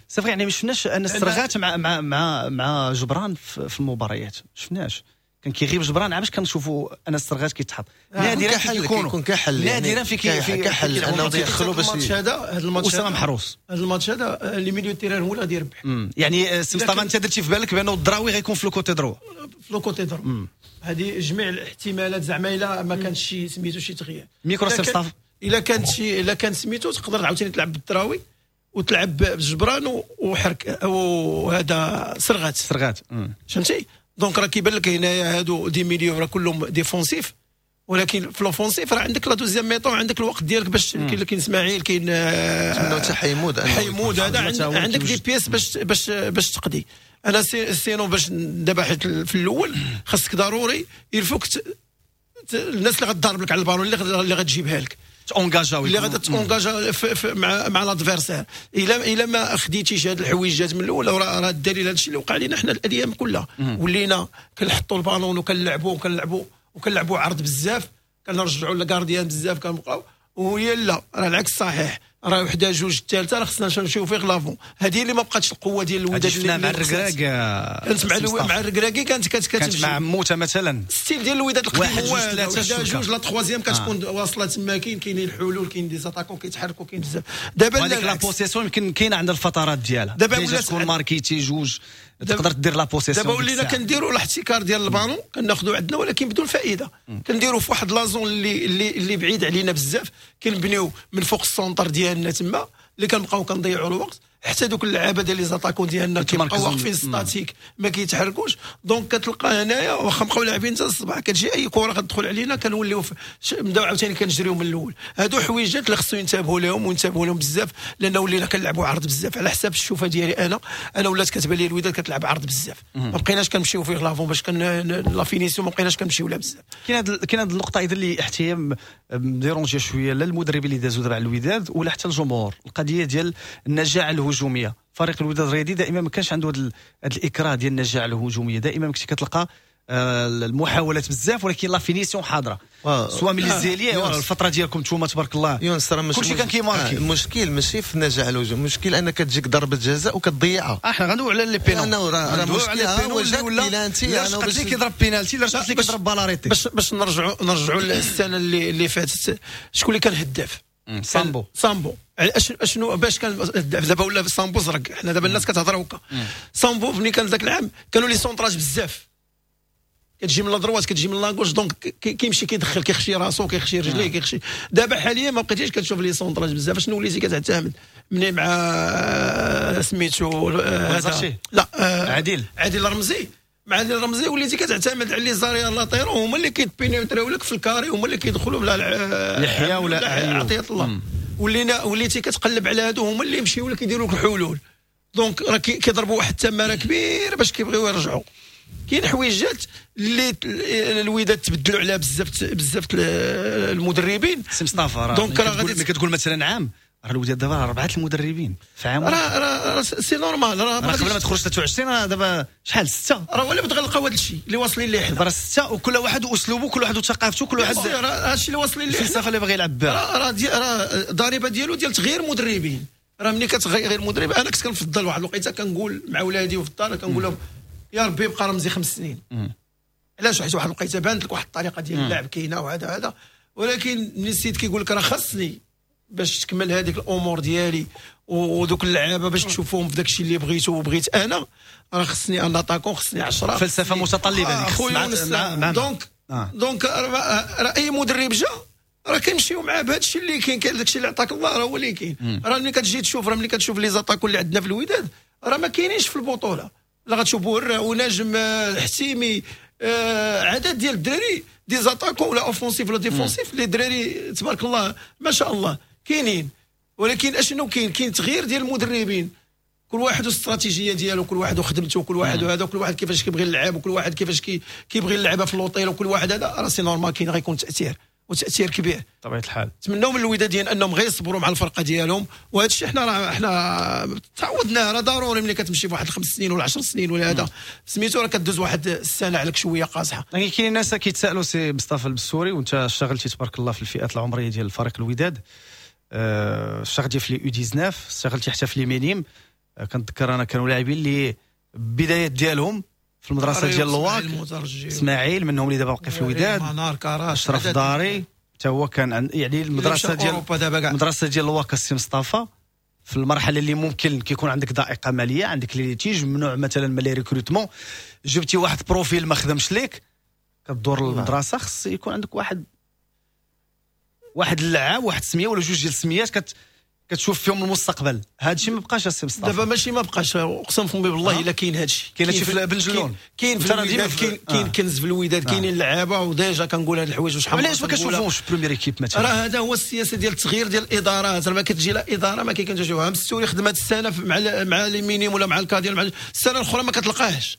صافي. يعني ما شفناش انس سرغات مع مع مع مع جبران في المباريات، شفناش كان كيغيب جبران علاش كنشوفوا انس السرغات كيتحط نادرا كيكون كحل، نادرا في كي كحل انه تيدخلوا باش الماتش هذا. هذا الماتش اسامة محروس، هذا الماتش هذا les milieux terrain هو اللي غادي يربح. يعني سي مصطفى انت درتي في بالك بانه الدراوي غيكون في le côté droit، في le côté droit هذه جميع الاحتمالات زعما الا ما كانش شي سميتو شي تغيير ميكرو سي مصطفى، الا كانت شي الا كان سميتو تقدر عاوتاني تلعب بالدراوي وتلعب بجبران وحرك وهذا سرغات سرغات فهمتي. donc راه كيبان لك هنايا هادو des milieux راه كلهم défensifs، ولكن في l'offensif راه عندك la deuxième mi-temps، عندك الوقت ديالك باش كاين كاين اسماعيل، كاين نتمناو حتى حيمود حيمود هذا عندك des pièces باش باش باش تقضي. انا sinon باش دابا حيت في الاول خاصك ضروري il faut que الناس اللي غتضرب لك على البالون اللي اللي غتجيبها لك تونجاجا اللي غادا تونجاجا مع مع l'adversaire. الا الا ما خديتيش هاد الحويجات من الاول، راه الدليل هادشي اللي وقع لنا حنا الايام كلها، ولينا كنحطوا البالون وكنلعبوا وكنلعبوا وكنلعبوا عرض بزاف، كنرجعوا لل gardien بزاف، كنبقاو وهي لا راه العكس صحيح، راه وحده جوج الثالثة راه خصنا نمشيو فيه l'avant. هذه اللي ما بقاتش القوة ديال الوداد اللي مع الركراكي كانت مع مع الركراكي كانت كانت كانت مع موته مثلا style ديال الوداد القديم واحد جوج ثلاثة جوج la troisième كتكون آه. واصله تما، كاين كاينين الحلول، كاين des attaquants كيتحركوا، كاين بزاف. دابا هذيك la possession يمكن كاينه عند الفترات ديالها، دابا ولات تكون ماركيتي جوج تقدر دير la possession. دابا ولينا كنديروا الاحتكار ديال البالون كناخذوا عندنا، ولكن بدون فائدة. كنديروا في واحد la zone اللي اللي اللي بعيد علينا بزاف، كنبنيو من فوق ال centre ديالنا تما اللي كنبقاو كنضيعوا الوقت. حتى دوك اللعابه ديال les attaquants ديالنا كيبقاو واقفين statiques ما كيتحركوش. donc كتلقى هنايا واخا بقاو لاعبين حتى الصباح كتجي اي كره كتدخل علينا كنوليو نبداو عاوتاني كنجريو من الاول. هادو حويجات اللي خصو ينتبهوا لهم وينتبهوا لهم بزاف، لان ولينا كنلعبوا عرض بزاف. على حساب الشوفه ديالي انا انا ولات كتبان لي الوداد كتلعب عرض بزاف، ما بقيناش كنمشيو فيه l'avant باش كن la finition، ما بقيناش كنمشيو لها بزاف. كاين هاد كاين هاد النقطة ايضا اللي حتى هي dérangée شوية لا المدربين اللي دازوا دابا على الوداد ولا حتى الجمهور، القضية ديال النجاعه الهجومية. فريق الوداد الرياضي دائما ما كانش عنده هذا الاكراه ديال النجاعه الهجومية، دائما ما كنتي كتلقى المحاولات بزاف ولكن la finition حاضره سواء من les ailiers. الفترة ديالكم نتوما تبارك الله يونس راه كلشي كان كيماركي. المشكل ماشي في النجاعه الهجومية، المشكل انك كتجيك ضربه جزاء وكتضيعها. احنا غندويو على les pénaux، راه مشكل ولا لا شقت لي كيضرب بينالتي لا شقت لي كيضرب balle arrêtée. باش باش نرجعوا نرجعوا للسنة اللي اللي فاتت، شكون اللي كان هداف؟ سامبو. سامبو اشنو باش كان دابا ولا سامبو زرق، حنا دابا الناس كتهضر هكا. سامبو ملي كان ذاك العام كانوا les centrages بزاف، كتجي من la droite كتجي من la gauche، donc كيمشي كيدخل كيخشي راسو كيخشي رجليه كيخشي. دابا حاليا ما بقيتيش كتشوف les centrages بزاف. شنو وليتي كتعتمد مني مع سميتو هذا لا عادل عادل رمزي، مع عادل رمزي وليتي كتعتمد على les arrières latéraux، هما اللي كيتبينيتريو لك في ال carré، هما اللي كيدخلوا بلا لحية ولا عطية الله. ولينا وليتي كتقلب على هادو هما اللي يمشيو لك يديروا لك الحلول. donc راه كيضربوا واحد التماره كبيرة باش كيبغيو يرجعوا. كاين حويجات اللي الوداد تبدلوا عليها بزاف بزاف المدربين. سي مصطفى راه donc راه غادي كتقول مثلا عام راه الوداد دابا اربعة المدربين في عام، راه راه c'est normal. راه قبل ما تخرج ثلاثة وعشرين راه دابا شحال ستة، راه ولا بغا نلقاو هذا الشيء اللي واصلين ليه حنا، راه ستة وكل واحد واسلوبه، كل واحد وثقافته، كل واحد راه هادشي اللي واصلين ليه، الفلسفة اللي باغي يلعب بها. راه راه الضريبة ديالو ديال تغيير مدربين. راه ملي كتغير مدرب، انا كنت كنفضل واحد الوقيته كنقول مع ولادي وفي الدار كنقول لهم يا ربي يبقى رمزي خمس سنين. علاش؟ حيت واحد الوقيته بانت لك واحد الطريقة ديال اللعب كاينه وهذا هذا، ولكن ملي السيد كيقول لك راه خصني باش تكمل هذيك الامور ديالي ودوك اللعابه باش تشوفهم في داك الشيء اللي بغيته وبغيت انا، راه خصني un attaquant، خصني عشرة. فلسفة متطلبه هذيك خويا. donc donc راه اي مدرب جا راه كنمشيو معاه بهذا الشيء اللي كاين، كاين داك الشيء اللي عطاك الله راه هو اللي كاين. راه ملي كتجي تشوف، راه ملي كتشوف les attaquants اللي عندنا في الوداد راه ما كاينينش في البطولة. لا غتشوف بورا ونجم الحسيمي آه عدد ديال الدراري des attaquants ولا offensifs ولا défensifs، les دراري تبارك الله ما شاء الله كاينين. ولكن اشنو كاين؟ كاين تغيير ديال المدربين، كل واحد والاستراتيجيه ديالو، كل واحد وخدمته، كل واحد وهذا، كل واحد كيفاش كيبغي اللعب، وكل واحد كيفاش كي كيبغي اللعبة في l'hôtel، وكل واحد هذا راه c'est normal كاين غيكون تاثير وتاثير كبير بطبيعة الحال. نتمناو من الوداديين انهم غير يصبروا مع الفرقة ديالهم، وهذا الشيء حنا راه حنا تعودناه، راه ضروري ملي كتمشي في واحد الخمس سنين ولا عشر سنين ولا هذا سميتو راه كدوز واحد السنة عليك شوية قاصحة. لكن كاين الناس كيتسالوا سي مصطفى البسوري، وانت اشتغلتي تبارك الله في الفئات العمرية ديال الفريق الوداد، اشتغلتي في les U تسعطاش، اشتغلتي حتى في les minimes. كنتذكر انا كانوا لاعبين اللي بدايات ديالهم في المدرسة ديال الواك، اسماعيل منهم اللي دابا باقي في الوداد، اشرف داري حتى هو كان يعني المدرسة ديال المدرسة ديال الواك. السي مصطفى في المرحلة اللي ممكن كيكون عندك ضائقة ماليه، عندك les litiges، ممنوع مثلا من les recrutements، جبتي واحد profil ما خدمش ليك كدور للمدرسة، خص يكون عندك واحد واحد اللعاب، واحد سميه ولا جوج ديال السميات كت كتشوف فيهم المستقبل. هذا الشيء ما بقاش السي مصطفى دابا، ماشي ما بقاش، اقسم فمي بالله الا كاين هذا الشيء. كاين هادشي في بن جلون، كاين في الوداد، كاين كاين كنز في الوداد، كاينين اللعابه و déjà كنقول هاد الحوايج وشحال. علاش ما كنشوفوش première équipe مثلا؟ راه هذا هو السياسة ديال التغيير ديال الادارات. راه ما كتجي لا ادارة ما كاين كنشوفوها مستوري خدمة السنة مع مع les minimes ولا مع les cadets، مع السنة الاخرى ما كتلقاهش.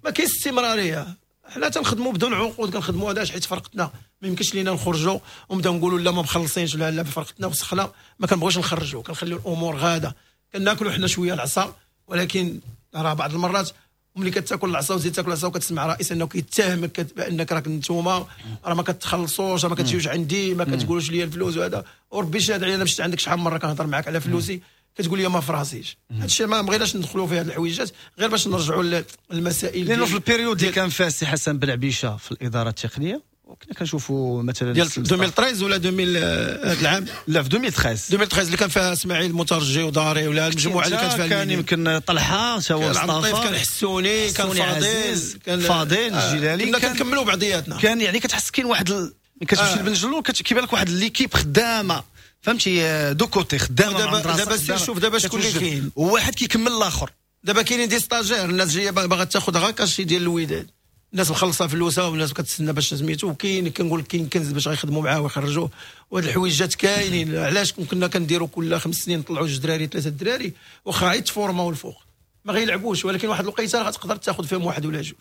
ما كاينش استمرارية. حنا تنخدموا بدون عقود، كنخدموا هذا حيت فرقتنا ما يمكنش لينا نخرجوا ونبداو نقولوا لا ما مخلصينش ولا لا فرقتنا وسخنا، ما كنبغيوش نخرجوا، كنخليو الامور غاده، كناكلوا حنا شوية العصا. ولكن راه بعض المرات ملي كتاكل العصا وزيد تاكل العصا وكتسمع رئيس انه كيتهمك بانك راك نتوما راه ما كتخلصوش، راه ما كتجيوش عندي، ما كتقولوش لي الفلوس وهذا. وربي شاد علينا مشيت عندك شحال من مرة كنهضر معاك على فلوسي كتقول لي ما فراسيش. هادشي ما بغيناش ندخلوا في هاد الحويجات غير باش نرجعوا للمسائل. لانه في ال période اللي كان فيها السي حسن بن عبيشه في الادارة التقنية وكنا كنشوفوا مثلا ديال ألفين وثلاثة ولا ألفين هذا العام، لا في ألفين وثلاثة ألفين وثلاثة اللي كان فيها اسماعيل المترجي وداري ولا المجموعة اللي كانت فيها، كان يمكن طلحة تا هو مصطفى، كان حسوني، كان فاضل، كان فاضل الجلالي، كنا كنكملوا بعضياتنا. كان يعني كتحس كاين واحد ال... كتمشي لبن جلون كيبان لك واحد l'équipe خدامه فهمتي deux côtés خدامه. دابا دابا سير شوف دابا شكون اللي كاين، وواحد كيكمل الاخر. دابا كاينين des stagiaires، الناس جاية باغا تاخذ غير cachet ديال الوداد، الناس مخلصة فلوسها والناس كتسنى باش سميتو، وكاين كنقول كاين كنز باش غيخدموا معاه ويخرجوه، وهاد الحويجات كاينين. علاش كنا كنديروا كل خمس سنين نطلعوا جوج دراري ثلاثة دراري واخا غير تفورماو الفوق ما غيلعبوش، ولكن واحد الوقيته راه غتقدر تاخذ فيهم واحد ولا جوج.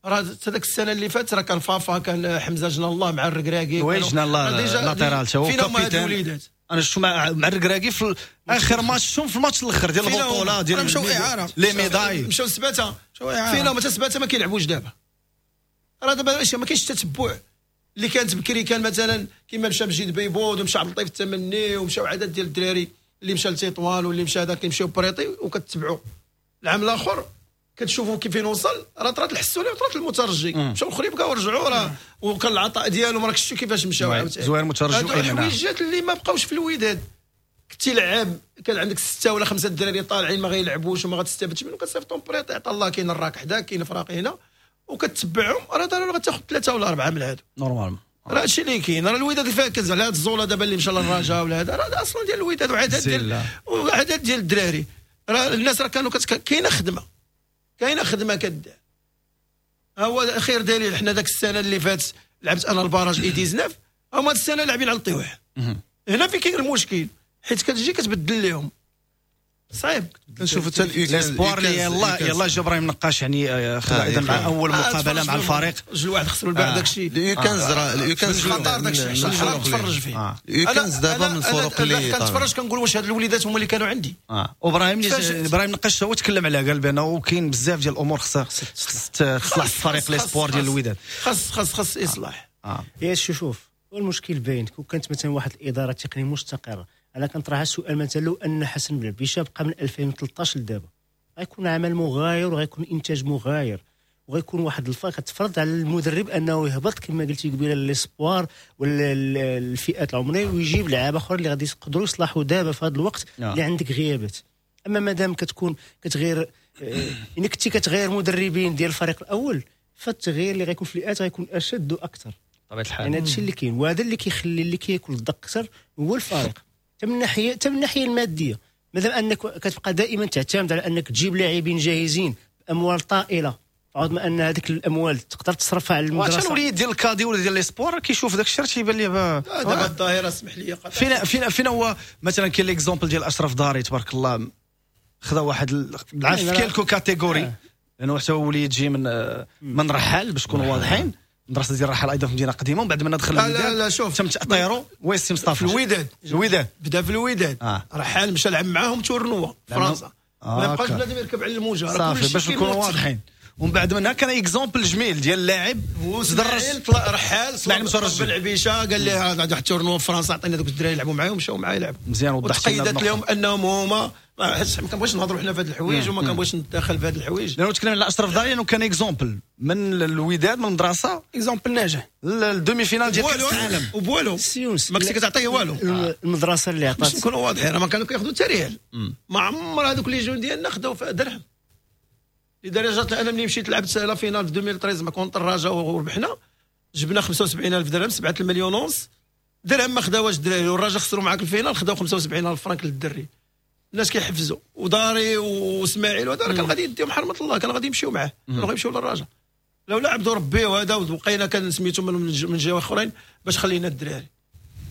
راه حتى داك السنة اللي فاتت راه كان فافا، كان حمزة جنا الله مع الركراكي، oui جنا الله latéral تا هو capitaine. انا شفتو مع مع الركراكي في اخر ماتش، شفتهم في الماتش الاخر ديال البطولة ديال مشاو اعاره les médailles، مشاو سباته فينا ما سباته ما كيلعبوش دابا. راه دابا ما كاينش التتبع اللي كانت بكري. كان مثلا كيما مشى مجيد بيبود ومشى عبد اللطيف التمني ومشاو عدد ديال الدراري اللي مشى لتطوان واللي مشى هذا كيمشيو prêtés وكتبعوا. العام الاخر كتشوفوا كيف وصل، راه طرات الحسوني وطرات المترجي، مشاو الخريبكه ورجعوا، راه وكان العطاء ديالهم راك شفتوا كيفاش مشاو عاوتاني. زوير المترجي وايمن الحويجات اللي ما بقاوش في الوداد. كنتي لعاب كان عندك ستة ولا خمسة الدراري طالعين ما غيلعبوش وما غتستافدش منهم، كتصيفطهم prêté، عطا الله كاين الراك حداك كاين فراق هنا وكتبعهم، راه ضروري غتاخذ ثلاثة ولا اربعة من هادو normalement. راه هادشي اللي كاين. راه الوداد فيها كنز على هاد الزوله دابا اللي مشى للرجاء ولا هذا، راه اصلا ديال الوداد وعدد ديال وعدد ديال الدراري. راه الناس راه كانوا كاينه خدمة، كاينه خدمة كدار. هو خير دليل حنا داك السنة اللي فات لعبت انا ال barrage U تسعطاش، هما هاد السنة لاعبين على الطيوح. هنا فين كاين المشكل، حيت كتجي كتبدل لهم صعيب. نشوفوا حتى l'espoir اللي يلا يلا جا ابراهيم نقاش يعني خدا ايضا مع اول مقابله مع الفريق جوج واحد خسروا البارح داكشي. ال U quinze راه ال U quinze خطر داكشي حرام تفرج فيه. ال U quinze دابا من الفرق اللي كنتفرج كنقول واش هاد الوليدات هما اللي كانوا عندي. اه وابراهيم ابراهيم نقاش هو تكلم عليها، قال بانه كاين بزاف ديال الامور خصها تصلح الفريق l'espoir ديال الوداد، خاص خاص خاص اصلاح. يا شوف المشكل باين، كون كانت مثلا واحد الادارة التقنية مستقره. انا كنطرح السؤال مثلا لو ان حسن بلعبيشه بقى من ألفين وثلاطاش لدابا غيكون عمل مغاير وغيكون انتاج مغاير وغيكون واحد الفرق تفرض على المدرب انه يهبط كما قلتي قبيلة l'espoir ولا الفئات العمرية ويجيب لعابه اخرى اللي غادي يقدروا يصلحوا دابا في هذا الوقت اللي عندك غيابات. اما مادام كتكون كتغير الا كنتي كتغير مدربين ديال الفريق الاول فالتغيير اللي غيكون في الفئات غيكون اشد واكثر بطبيعة الحال. يعني هذا الشيء اللي كاين، وهذا اللي كيخلي اللي كياكل الدق اكثر هو الفريق حتى من الناحية حتى من الناحية المادية. مادام انك كتبقى دائما تعتمد على انك تجيب لاعبين جاهزين باموال طائلة، عوض ما ان هذيك الاموال تقدر تصرفها على المدرسة. وعشان الوليد ديال ال cadets ولا ديال l'espoir كيشوف داك الشيء تيبان ليه دابا الظاهرة. اسمح لي فينا فينا فينا هو مثلا كاين l'exemple ديال اشرف داري تبارك الله، خذا واحد لعب في quelques catégories، لانه حتى هو وليد جي من من رحال باش نكونوا واضحين، مدرسه ديال الرحال ايضا في مدينة قديمة، ومن بعد ما دخل الوداد لا لا شوف تم تاطيرو oui سي مصطفى في الوداد. الوداد بدا في الوداد آه. رحال مشى لعب معاهم tournoi فرنسا، آه. ما بقاش بنادم يركب على الموجه صافي باش نكونوا واضحين. ومن بعد منها كان exemple جميل ديال اللاعب تدرج رحال صلاح بلعبيشه قال ليه عندك واحد tournoi في فرنسا عطينا دوك الدراري يلعبوا معايا، ومشاو معايا يلعبوا مزيان. وضحت لنا وتقيدت لهم انهم هما ما كنبغيش نهضروا حنا في هاد الحوايج وما كنبغيش نتدخل في هاد الحوايج. لانه تكلم على اشرف داري انه كان exemple من الوداد من المدرسة، exemple ناجح ال demi-finale ديال كاس العالم وبوالو ما كنتي كتعطيه والو. المدرسة اللي عطات باش نكونوا واضحين راه ما كانوا كياخذوا حتى ريال، ما عمر هذوك les jeunes ديالنا خداو درهم، لدرجة انا ملي مشيت لعبت la finale في ألفين وثلاطاش مع contre الرجاء وربحنا، جبنا خمسة وسبعين ألف درهم، سبعة المليون ونص درهم ما خداوهاش الدراري، والرجاء خسروا معاك ال finale خداو خمسة وسبعين ألف فرانك للدري. الناس كيحفزوا وداري واسماعيل وهذا كان غادي يديهم حرمه الله، كان غادي يمشيو معاه، كانوا غيمشيو للرجاء لولا عبدو ربي وهذا، وبقينا كان سميتو من من جهة اخرين باش خلينا الدراري.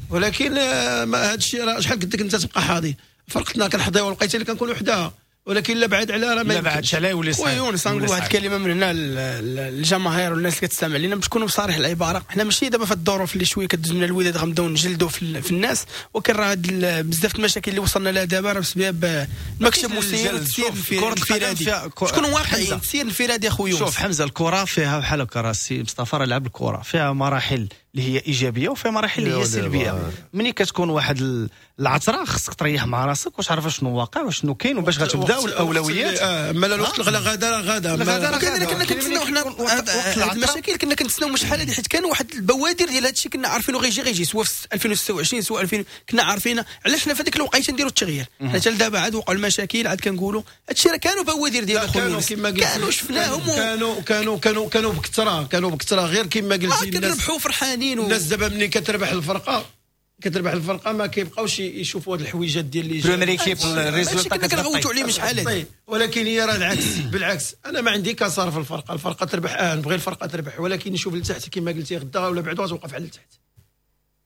ولكن هذا الشيء راه شحال قدك انت تبقى حاضي، فرقتنا كنحضيو الوقيته اللي كنكونوا حداها، ولكن لا بعد على راه ما بعدش عليه يولي صعيب. ويونس نقول واحد الكلمة من هنا للجماهير والناس اللي كتستمع لينا باش نكونوا بصريح العبارة، حنا ماشي دابا في الظروف اللي شوية كدوز من الوداد غنبداو نجلدوا في, في الناس، ولكن راه بزاف المشاكل اللي وصلنا لها دابا راه بسبب المكتب المسير والتسيير الانفرادي. شكون واقعي التسيير الانفرادي اخويا يونس؟ شوف حمزة، الكره فيها بحال هكا، راه السي مصطفى راه لعب الكره فيها مراحل اللي هي ايجابية وفيها مراحل اللي هي سلبية. ملي كتكون واحد العثره خصك تريح مع راسك وتعرف شنو واقع وشنو كاين وباش غتبداو الاولويات. آه مالا الوقت الغلا غادا راه غادا غادا. كنا كنتسناو حنا هاد المشاكل، كنا كنتسناو شحال هادي، حيت كان واحد البوادر ديال هادشي كنا عارفينه غيجي غيجي سواء في ألفين وستة وعشرين سواء ألفين، كنا عارفين علاش حنا في هذيك الوقيته نديروا التغيير. حنا حتى لدابا عاد وقعوا المشاكل عاد كنقولوا هادشي راه كانوا بوادر ديال الخلوص، كانوا شفناهم، كانوا كانوا كانوا كانوا بكثرة، كانوا بكثرة غير كما قلتي الناس كنربحوا فرحانين. الناس دابا ملي كتربح الفرقة كتربح الفرقة ما كيبقاوش يشوفوا هاد الحويجات ديال اللي première équipe ال résultat كنغوتوا عليه شحال هادي، ولكن هي راه العكس. بالعكس انا ما عندي كسار في الفرقة، الفرقة تربح اه نبغي الفرقة تربح، ولكن نشوف لتحت كما قلتي غدا ولا بعدو غتوقف على التحت.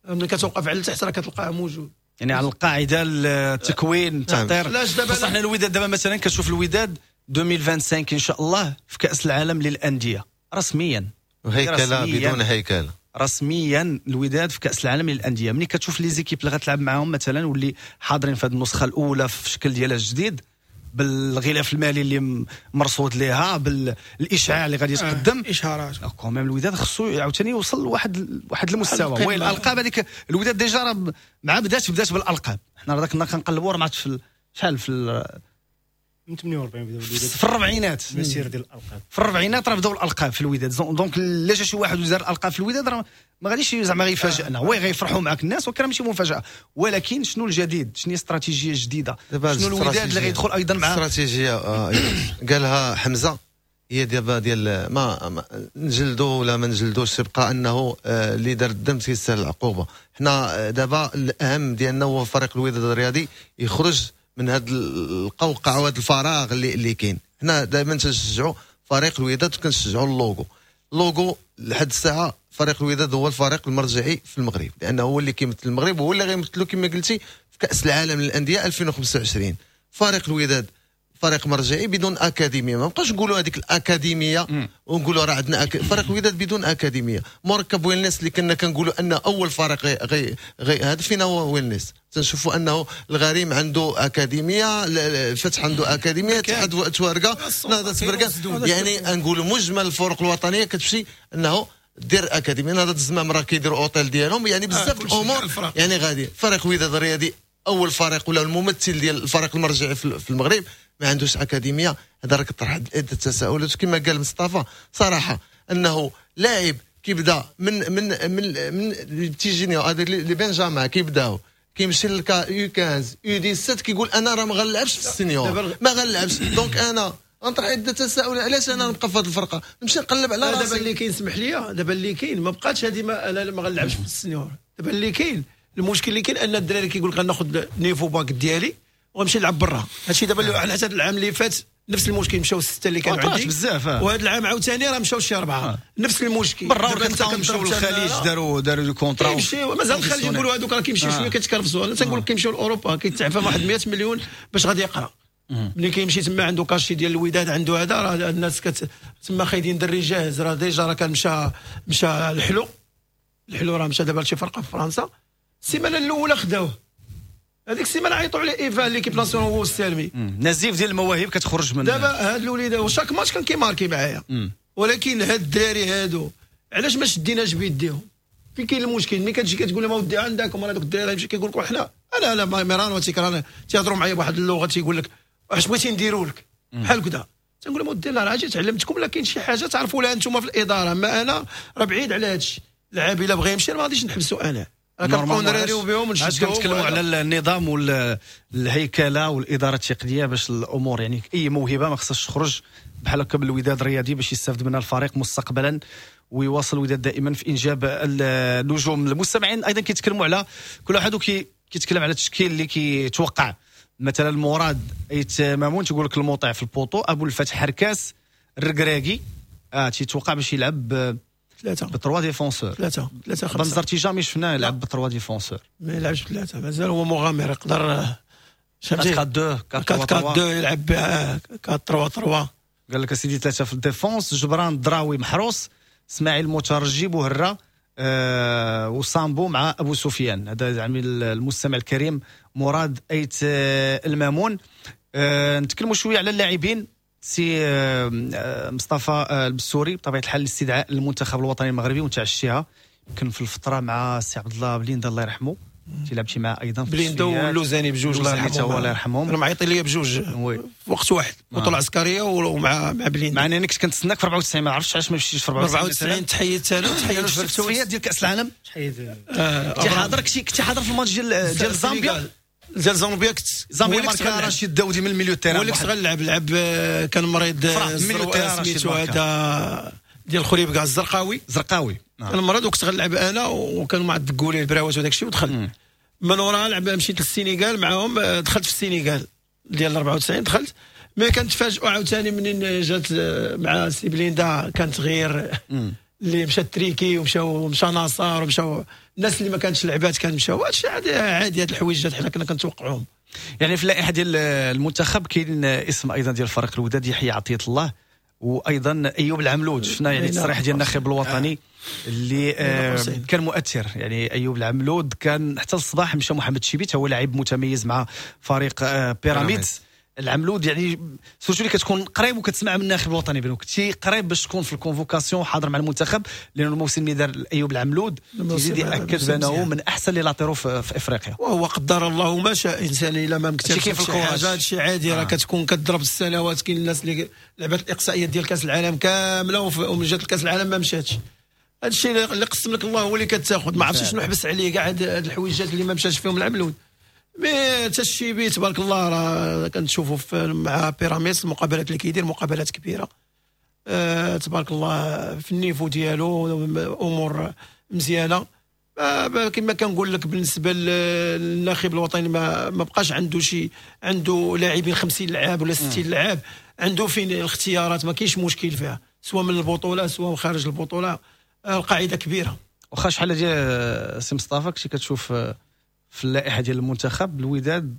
ملي كتوقف على التحت راه كتلقاها موجود، يعني على القاعدة التكوين التأطير. خصنا حنا الوداد دابا مثلا كتشوف الوداد ألفين وخمسة وعشرين ان شاء الله في كاس العالم للاندية رسميا، هيكله بدون هيكله رسميا الوداد في كاس العالم للاندية. ملي كتشوف les équipes اللي غتلعب معاهم مثلا واللي حاضرين في هذه النسخة الاولى في الشكل ديالها الجديد بالغلاف المالي اللي مرصود ليها بالاشعاع اللي غادي يتقدم آه، اشهارات quand même الوداد خصو عاوتاني يوصل لواحد واحد المستوى. oui الالقاب هذيك الوداد déjà راه مع بدات بدات بالالقاب، حنا راه كنا كنقلبوا راه ما عرفتش في شحال في من ثمانية وأربعين بداو الوداد في الربعينات المسيرة ديال الالقاب، في الربعينات راه بداو الالقاب في الوداد. donc لا جا شي واحد ودار الالقاب في الوداد راه ما غاديش زعما غيفاجئنا، oui غيفرحوا معاك الناس ولكن ماشي مفاجاة. ولكن شنو الجديد؟ شنو هي الاستراتيجية الجديدة؟ شنو الوداد اللي غيدخل ايضا مع الاستراتيجية؟ آه قالها حمزة، هي دابا ديال ما, ما نجلدو ولا ما نجلدوش، تبقى انه اللي دار الدم تيستاهل العقوبة. حنا دابا الاهم ديالنا هو فريق الوداد الرياضي يخرج من هذا القوقعة وهذا الفراغ اللي اللي كاين. حنا دائما تنشجعوا فريق الوداد وكنشجعوا ال logo. ال logo لحد الساعة فريق الوداد هو الفريق المرجعي في المغرب، لانه هو اللي كيمثل المغرب وهو اللي غيمثلو كما قلتي في كاس العالم للاندية ألفين وخمسة وعشرين. فريق الوداد فريق مرجعي بدون اكاديمية، ما نبقاوش نقولوا هذيك الاكاديمية ونقولوا راه عندنا أك... فريق الوداد بدون اكاديمية. مركب ويلنس اللي كنا كنقولوا ان اول فريق غي غي, غي... هذا فينا هو ويلنس، تنشوفوا انه الغريم عنده اكاديمية، الفتح عنده اكاديمية، اتحاد توارقه، نهضة بركان، يعني نقولوا مجمل الفرق الوطنية كتمشي انه دير اكاديمية. نهضة الزمام راه كيديروا اوتيل ديالهم، يعني بزاف الامور يعني غادي. فريق وداد الرياضي اول فريق ولا الممثل ديال الفريق المرجعي في المغرب ما عندوش اكاديمية. هذا راه كطرح عده تساؤلات كما قال مصطفى صراحة، انه لاعب كيبدا من من من من petits juniors هذا les benjamins كيبداو كيمشي لل U خمسطاش U سبعطاش كيقول انا راه ما غنلعبش في ال senior، ما غنلعبش. donc انا غنطرح عده تساؤلات، علاش انا نبقى في هذه الفرقة؟ نمشي نقلب على راسي. دابا اللي كاين سمح لي، دابا اللي كاين ما بقاتش هذه، ما انا ما غنلعبش في ال senior. دابا اللي كاين المشكل اللي كاين ان الدراري كيقول لك غناخذ niveau bac ديالي وغنمشي نلعب برا. هادشي دابا على حسب العام اللي فات نفس المشكل، مشاو الستة اللي كانوا عندي بزاف، وهذا العام عاوتاني راه مشاو شي اربعة. آه. نفس المشكل برا كنت مشاو للخليج، داروا داروا des contrats كيمشيو مازال الخليج نقولوا هذوك راه كيمشيو شوية كيتكرفسوا. انا تنقول لك كيمشيو لاوروبا كيتعفى واحد مية مليون باش غادي يقرا. ملي كيمشي تما عنده cachet ديال الوداد، عنده هذا راه الناس كت تما خايدين دري جاهز، راه déjà راه كان مشى مشى الحلو الحلو راه مشى دابا لشي فرقه في فرنسا. السيمانة الاولى خداوه، هذيك السيمانة عيطوا على ايفان l'équipe nationale هو السالمي. نزيف ديال المواهب كتخرج من دابا هاد الوليدة، و chaque match كان كيماركي معايا. ولكن هاد الدراري هادو علاش ما شديناش بيديهم؟ فين كاين المشكل؟ ملي كتجي كتقول لهم اودي عندكم راه دوك الدراري يمشي كيقول لك حنا انا انا ميران وتيكران تيهضروا معايا بواحد اللغة تيقول لك واش بغيتي نديروا لك بحال كذا. تنقول لهم اودي لا راه جيت علمتكم، لا كاين شي حاجة تعرفوا لها انتم في الادارة، ما انا راه بعيد على هادشي. اللاعب الا بغى يمشي ما غاديش نحبسو انا، كنبقاو نراريو بهم ونشدوهم. كنتكلموا على النظام والهيكله والادارة التقنية باش الامور، يعني اي موهبة ما خصهاش تخرج بحال هكا بالوداد الرياضي باش يستافد منها الفريق مستقبلا ويواصل الوداد دائما في انجاب النجوم. المستمعين ايضا كيتكلموا على كل واحد وكيتكلم على التشكيل اللي كيتوقع. مثلا مراد ايت مامون تيقول لك الموطع في ال poteau، ابو الفتح حركاس، الركراكي اه تيتوقع باش يلعب ثلاثة ب trois défenseurs، ثلاثة ثلاثة خمسة. بنزرتي jamais شفناه يلعب ب trois défenseurs، ما يلعبش بثلاثة، مازال هو مغامر يقدر أربعة اثنين أربعة اثنين يلعب أربعة ثلاثة ثلاثة. قال لك اسيدي ثلاثة في ال défense، جبران دراوي محروس، اسماعيل مترجي بوهره آه وصامبو مع ابو سفيان. هذا يعني المستمع الكريم مراد ايت المامون. آه نتكلموا شوية على اللاعبين. سي مصطفى البسوري بطبيعة الحال الاستدعاء للمنتخب الوطني المغربي وانت عشتيها يمكن في الفترة مع سي عبد الله بليندا الله يرحمه، تلعبتي معاه ايضا في بليندا واللوزاني بجوج الله يرحمهم، الله يرحمهم. انا معيطين ليا بجوج في وقت واحد، بطوله عسكرية ومع مع بليندا. مع انني كنت كنتسناك في أربعة وتسعين، ما عرفتش علاش ما مشيتيش في أربعة وتسعين. تحيدت انا تحيدت في التصفيات ديال كاس العالم. كنتي حاضر كنتي حاضر في الماتش ديال ديال زامبيا ديال زامبيا. كنت زامبيا ماركا رشيد داودي من ال milieu terrain، هو اللي كنت غنلعب لعب كان مريض سميتو هذا ديال خريب كاع الزرقاوي زرقاوي كان مريض وكنت غنلعب انا، وكانوا مع الدقولي البراوات وداك الشيء ودخل. من وراها لعب مشيت للسينيغال معاهم، دخلت في السينيغال ديال أربعة وتسعين دخلت. mais كنتفاجئوا عاوتاني منين جات مع سي بليندا كانت غير اللي مشى تريكي ومشاو مشى ناصر ومشاو الناس اللي ما كانتش لعبات كان مشاو. هادشي عادي عادي، هاد الحويجات حنا كنا كنتوقعوهم. يعني في اللائحة ديال المنتخب كاين اسم ايضا ديال فريق الوداد يحيى عطية الله وايضا ايوب العملود. شفنا يعني التصريح ديال الناخب الوطني اللي آه كان مؤثر. يعني ايوب العملود كان حتى الصباح مشى محمد شيبيت، هو لاعب متميز مع فريق آه بيراميدز. العملود يعني surtout اللي كتكون قريب وكتسمع من الناخب الوطني بانه كنتي قريب باش تكون في ال convocation حاضر مع المنتخب، لانه الموسم اللي دار ايوب العملود يزيد ياكد بانه من احسن les latéraux في, في افريقيا. وهو قدر الله ما شاء، انسان الا ما مكتبش في هذا الشيء عادي. راه آه. كتكون كتضرب السنوات. كاين الناس اللي لعبت الاقصائيات ديال كاس العالم كاملة ومن جات كاس العالم ما مشاتش. هذا الشيء اللي قسم لك الله هو اللي كتاخذ. ما عرفتش شنو حبس عليه كاع هاد الحويجات اللي ما مشاش فيهم العملود. mais حتى الشيبي تبارك الله راه كنشوفوا مع بيراميدز المقابلات اللي كيدير مقابلات كبيرة أه تبارك الله في ال niveau ديالو امور مزيانه. أه كما كنقول لك بالنسبة للناخب الوطني ما, ما بقاش عنده شي، عنده لاعبين خمسين لاعب ولا ستين لاعب، عنده فين الاختيارات، ما كاينش مشكل فيها سواء من البطولة سواء خارج البطولة. القاعدة كبيرة. واخا شحال ديال سي مصطفى كنتي كتشوف في اللائحة ديال المنتخب الوداد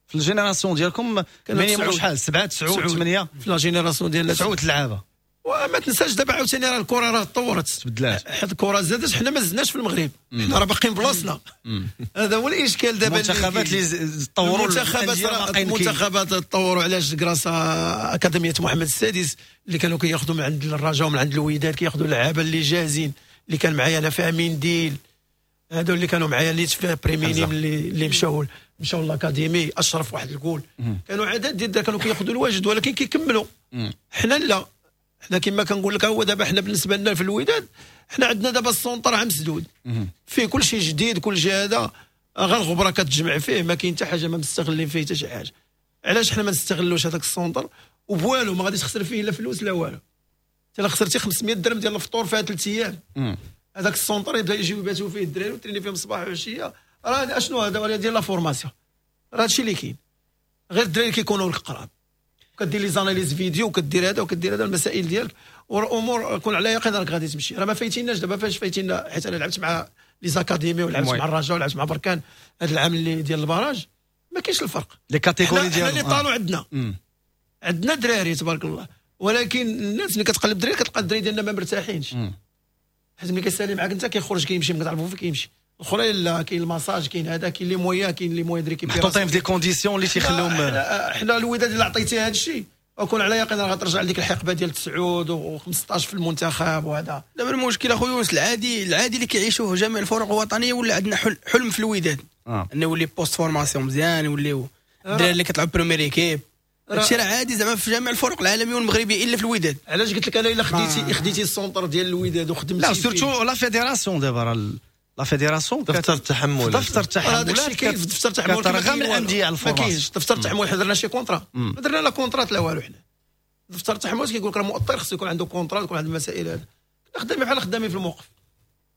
في ال génération ديالكم minimum شحال؟ سبعة تسعة ثمانية في la génération ديالنا تسعة لعابه. وما تنساش دابا عاوتاني راه الكره راه تطورت تبدلات، حيت الكره زادت. حنا ما زدناش في المغرب، حنا راه باقيين بلاصتنا. هذا هو الاشكال دابا. المنتخبات اللي تطوروا، المنتخبات المنتخبات تطوروا علاش؟ grâce à اكاديمية محمد السادس اللي كانوا كياخذوا من عند الرجاء ومن عند الوداد، كياخذوا اللعابه اللي جاهزين. اللي كان معايا انا في منديل، هادو اللي كانوا معايا اللي في pré-minimes اللي اللي مشاو مشاو l'académie، اشرف واحد الجول، كانوا عدد ديال كانوا كياخذوا الواجد ولكن كيكملوا. حنا لا، حنا كما كنقول لك هو دابا حنا بالنسبة لنا في الوداد حنا عندنا دابا ال centre عام مسدود فيه كل شيء جديد، كل شيء هذا غير الغبرة كتجمع فيه، ما كاين حتى حاجة، ما مستغلين فيه حتى شي حاجة. علاش حنا ما نستغلوش هذاك ال centre؟ وبوالو ما غاديش تخسر فيه لا فلوس لا والو. انت خسرتي خمسمية درهم ديال الفطور فيها ثلاث ايام، هذاك ال centre يبدا يجيو يباتوا فيه الدراري وتريني فيهم صباح وعشية. راه اشنو هذا ديال la formation؟ راه هادشي اللي كاين، غير الدراري كيكونوا لك قراب، كدير les analyses vidéo وكدير هذا وكدير هذا المسائل ديالك والامور كون على يقين راك غادي تمشي. راه ما فايتيناش دابا. فاش فايتينا؟ حيت انا لعبت مع les académies ولعبت مع الرجاء ولعبت مع بركان هذا العام اللي ديال ال barrage، ما كاينش الفرق. les catégories ديالهم حنا اللي طالوا عندنا عندنا دراري تبارك الله، ولكن الناس اللي كتقلب دراري كتلقى الدراري ديالنا ما مرتاحينش. حيت ملي كيسالي معاك انت كيخرج كيمشي، ما كتعرفو فين كيمشي. الاخرين لا، كاين المساج، كاين هذا، كاين les moyens، كاين les moyens دري محطوطين في des conditions اللي تيخليهم. حنا الوداد اللي عطيتي هذا الشيء وكون على يقين راه غترجع لديك الحقبة ديال تسعة وخمسطاش في المنتخب. وهذا دابا المشكل اخويا يونس العادي العادي اللي كيعيشوه جميع الفرق الوطنية، ولا عندنا حلم في الوداد آه. انه يولي poste formation مزيان، يوليو الدراري اللي كتلعب première équipe. هادشي راه عادي زعما في جميع الفرق العالمية والمغربيه الا في الوداد. علاش قلت لك انا الا خديتي خديتي ال centre ديال الوداد وخدمتي لا surtout la fédération دابا راه la fédération دفتر التحمل، دفتر التحملات هذا كاين في دفتر التحمل كترغم الاندية على ال formation. ما كاينش دفتر التحمل، حنا درنا شي contrat، ما درنا لا contrat لا والو. حنا دفتر التحمل كيقول لك راه مؤطر خصو يكون عنده contrat، يكون عنده المسائل هذا. كنا خدامين بحال خدامين في الموقف،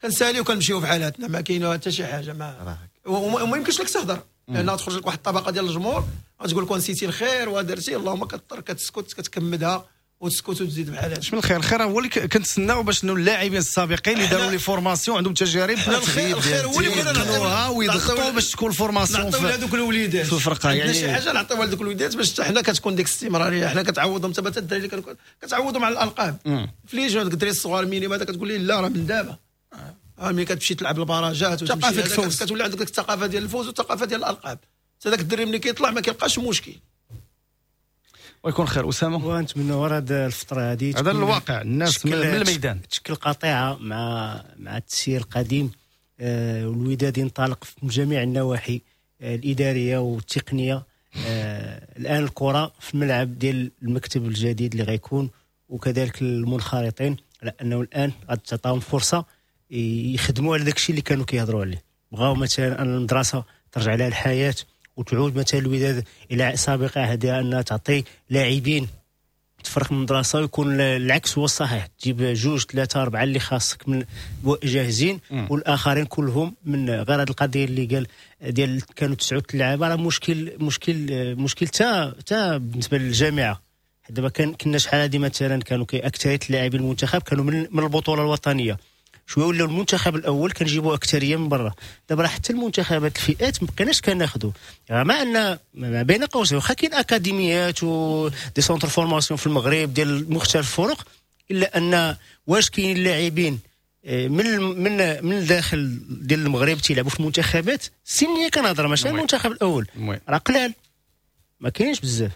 كنساليو وكنمشيو في حالاتنا، ما كاين حتى شي حاجة. ما وما يمكنش لك تهضر، لان تخرج لك واحد الطبقة ديال الجمهور غتقول لك نسيتي الخير ودرتي، اللهم كتضطر كتسكت كتكمدها وتسكت وتزيد بحال هذا. من الخير الخير هو اللي كنتسناو باش اللاعبين السابقين اللي داروا les formations عندهم تجارب الخير الخير هو اللي بغينا نعطيوها ويضغطوا باش تكون ال formation نعطيو لهذوك الوليدات في الفرقة. يعني شي حاجة نعطيوها لهذوك الوليدات باش حتى حنا كتكون ديك الاستمرارية، حنا كتعوضهم حتى الدراري اللي كتعوضهم على الالقاب في les jeunes. هذوك الدراري الصغار minimes هذا كتقول ليه لا راه من دابا ملي كتمشي تلعب البراجات وتمشي كتولي عندك الثقافة ديال الفوز والثقافة ديال الالقاب. حتى ذاك الدري ملي كيطلع ما كيلقاش مشكل. ويكون خير اسامة. ونتمنى ورا هذه الفترة هذه هذا الواقع الناس من الميدان تشكل قطيعة مع مع التسيير القديم، آه والوداد ينطلق في جميع النواحي آه الادارية والتقنية. آه الان الكره في الملعب ديال المكتب الجديد اللي غيكون، وكذلك المنخرطين، على انه الان غتعطاهم فرصة يخدموا على داكشي اللي كانوا كيهضروا عليه. بغاو مثلا ان المدرسة ترجع لها الحياة وتعود مثلا الوداد الى سابقه هذه، انها تعطي لاعبين تفرق من المدرسة ويكون العكس هو الصحيح، تجيب جوج ثلاثة اربعة اللي خاصك من جاهزين والاخرين كلهم من غير هذه القضية اللي قال ديال كانوا تسعة اللعابه، راه مشكل مشكل مشكل تا تا بالنسبة للجامعة. دابا كان كنا شحال هذه مثلا كانوا اكثرية اللاعبين المنتخب كانوا من من البطولة الوطنية، شوية ولاو المنتخب الاول كنجيبوا اكثرية من برا. دابا راه حتى المنتخبات الفئات ما بقيناش كناخذوا، مع ان ما بين قوسين واخا كاين اكاديميات و des centres formation في المغرب ديال مختلف الفرق، الا ان واش كاين اللاعبين من من من الداخل ديال المغرب تيلعبوا في المنتخبات السنية، كنهضر ماشي المنتخب الاول، راه قلال ما كاينش بزاف.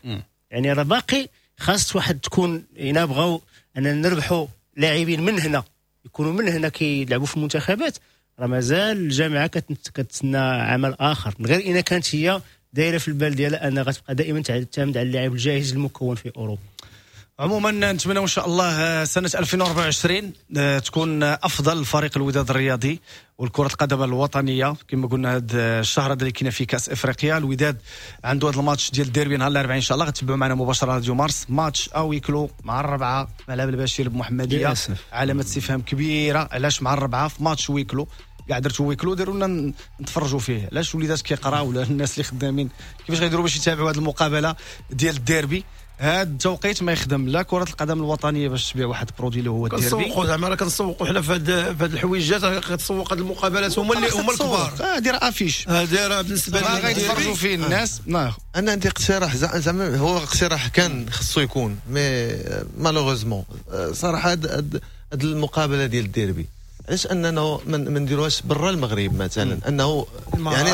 يعني راه باقي خاص واحد تكون الا بغاو ان نربحوا لاعبين من هنا يكونوا من هنا كيلعبوا في المنتخبات، راه مازال الجامعة كتسنى عمل اخر، من غير اذا كانت هي دايرة في البال ديالها انها غتبقى دائما تعتمد على اللاعب الجاهز المكون في اوروبا. عموما نتمنى ان شاء الله سنة ألفين وأربعة وعشرين تكون افضل لفريق الوداد الرياضي والكره القدم الوطنية. كما قلنا هذا الشهر هذا اللي كاين في كاس افريقيا، الوداد عنده هذا الماتش ديال الديربي نهار الاربعاء ان شاء الله، غتبعوا معنا مباشرة راديو مارس، match à huis clos مع الربعه ملعب البشير بمحمديه، علامة استفهام كبيرة علاش مع الربعه في match huis clos؟ كاع درتو huis clos ديروا لنا نتفرجوا فيه، علاش وليدات كيقراو ولا الناس اللي خدامين كيفاش غيديروا باش يتابعوا هذه المقابلة ديال الديربي؟ هذا التوقيت ما يخدم لا كرة القدم الوطنية باش تبيع واحد produit اللي هو الديربي. كنسوقوا زعما راه كنسوقوا حنا في هاد في هاد الحويجات، كتسوق هاد المقابلات هما اللي هما الكبار. اه دير affiche، هادي راه بالنسبة لي غيتفرجوا فيه الناس. آه. انا عندي اقتراح، زعما هو اقتراح كان خصو يكون mais malheureusement صراحة هاد هاد المقابلة ديال الديربي علاش اننا ما نديروهاش برا المغرب مثلا، انه يعني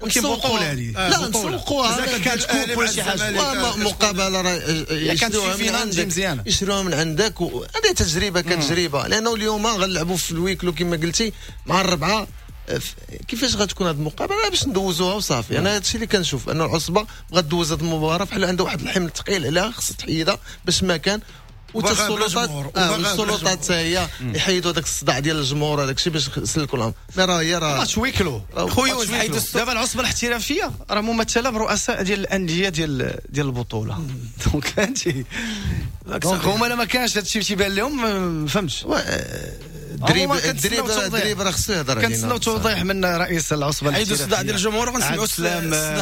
ولكن بطوله هذه لا نسوقوها، كانت coupe ولا شي حاجة، مقابله راه يشروها من عندك، يشروها من عندك، وهذه تجربه كتجربة، لانه اليوم غنلعبوا في ال huis clos كما قلتي مع الربعه، كيفاش غتكون هذه المقابلة باش ندوزوها وصافي. انا هادشي اللي كنشوف ان العصبة بغات دوز هذه المباراة بحال عندها واحد الحمل ثقيل عليها خصها تحيدها باش ما كان، والسلطات آه والسلطات هي يحيدوا هذاك الصداع ديال الجمهور هذاك الشيء باش يسلكوا لهم. mais راه هي راه match huis clos خويا حيدوا. دابا العصبة الاحترافية راه ممثلة برؤساء ديال الاندية ديال ديال البطولة، donc فهمتي، donc هما لا ما كانش هادشي تيبان لهم ما فهمتش. الدريب الدريب الدريب راه خصو يهضر علينا. كنتسناو توضيح من رئيس العصبة حيدوا الصداع ديال الجمهور وغنسمعوا الصداع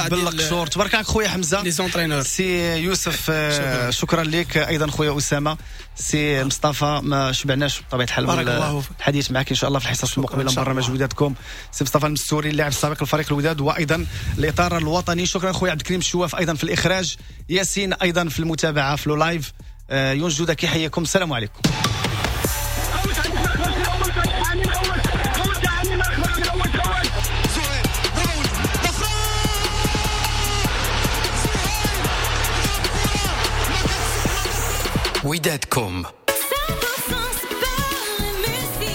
ديال بالقشور. تبارك عليك خويا حمزة les entraîneurs. سي يوسف شكرا لك، ايضا خويا اسامة، سي مصطفى ما شبعناش بطبيعة الحال بارك الله فيك الحديث معك ان شاء الله في الحصص المقبلة من برنامج ودادكم. سي مصطفى المستوري اللاعب السابق لفريق الوداد وايضا الاطار الوطني، شكرا خويا عبد الكريم الشواف ايضا في الاخراج، ياسين ايضا في المتابعة في live، يونس جوده كيحييكم، السلام عليكم. ودادكم.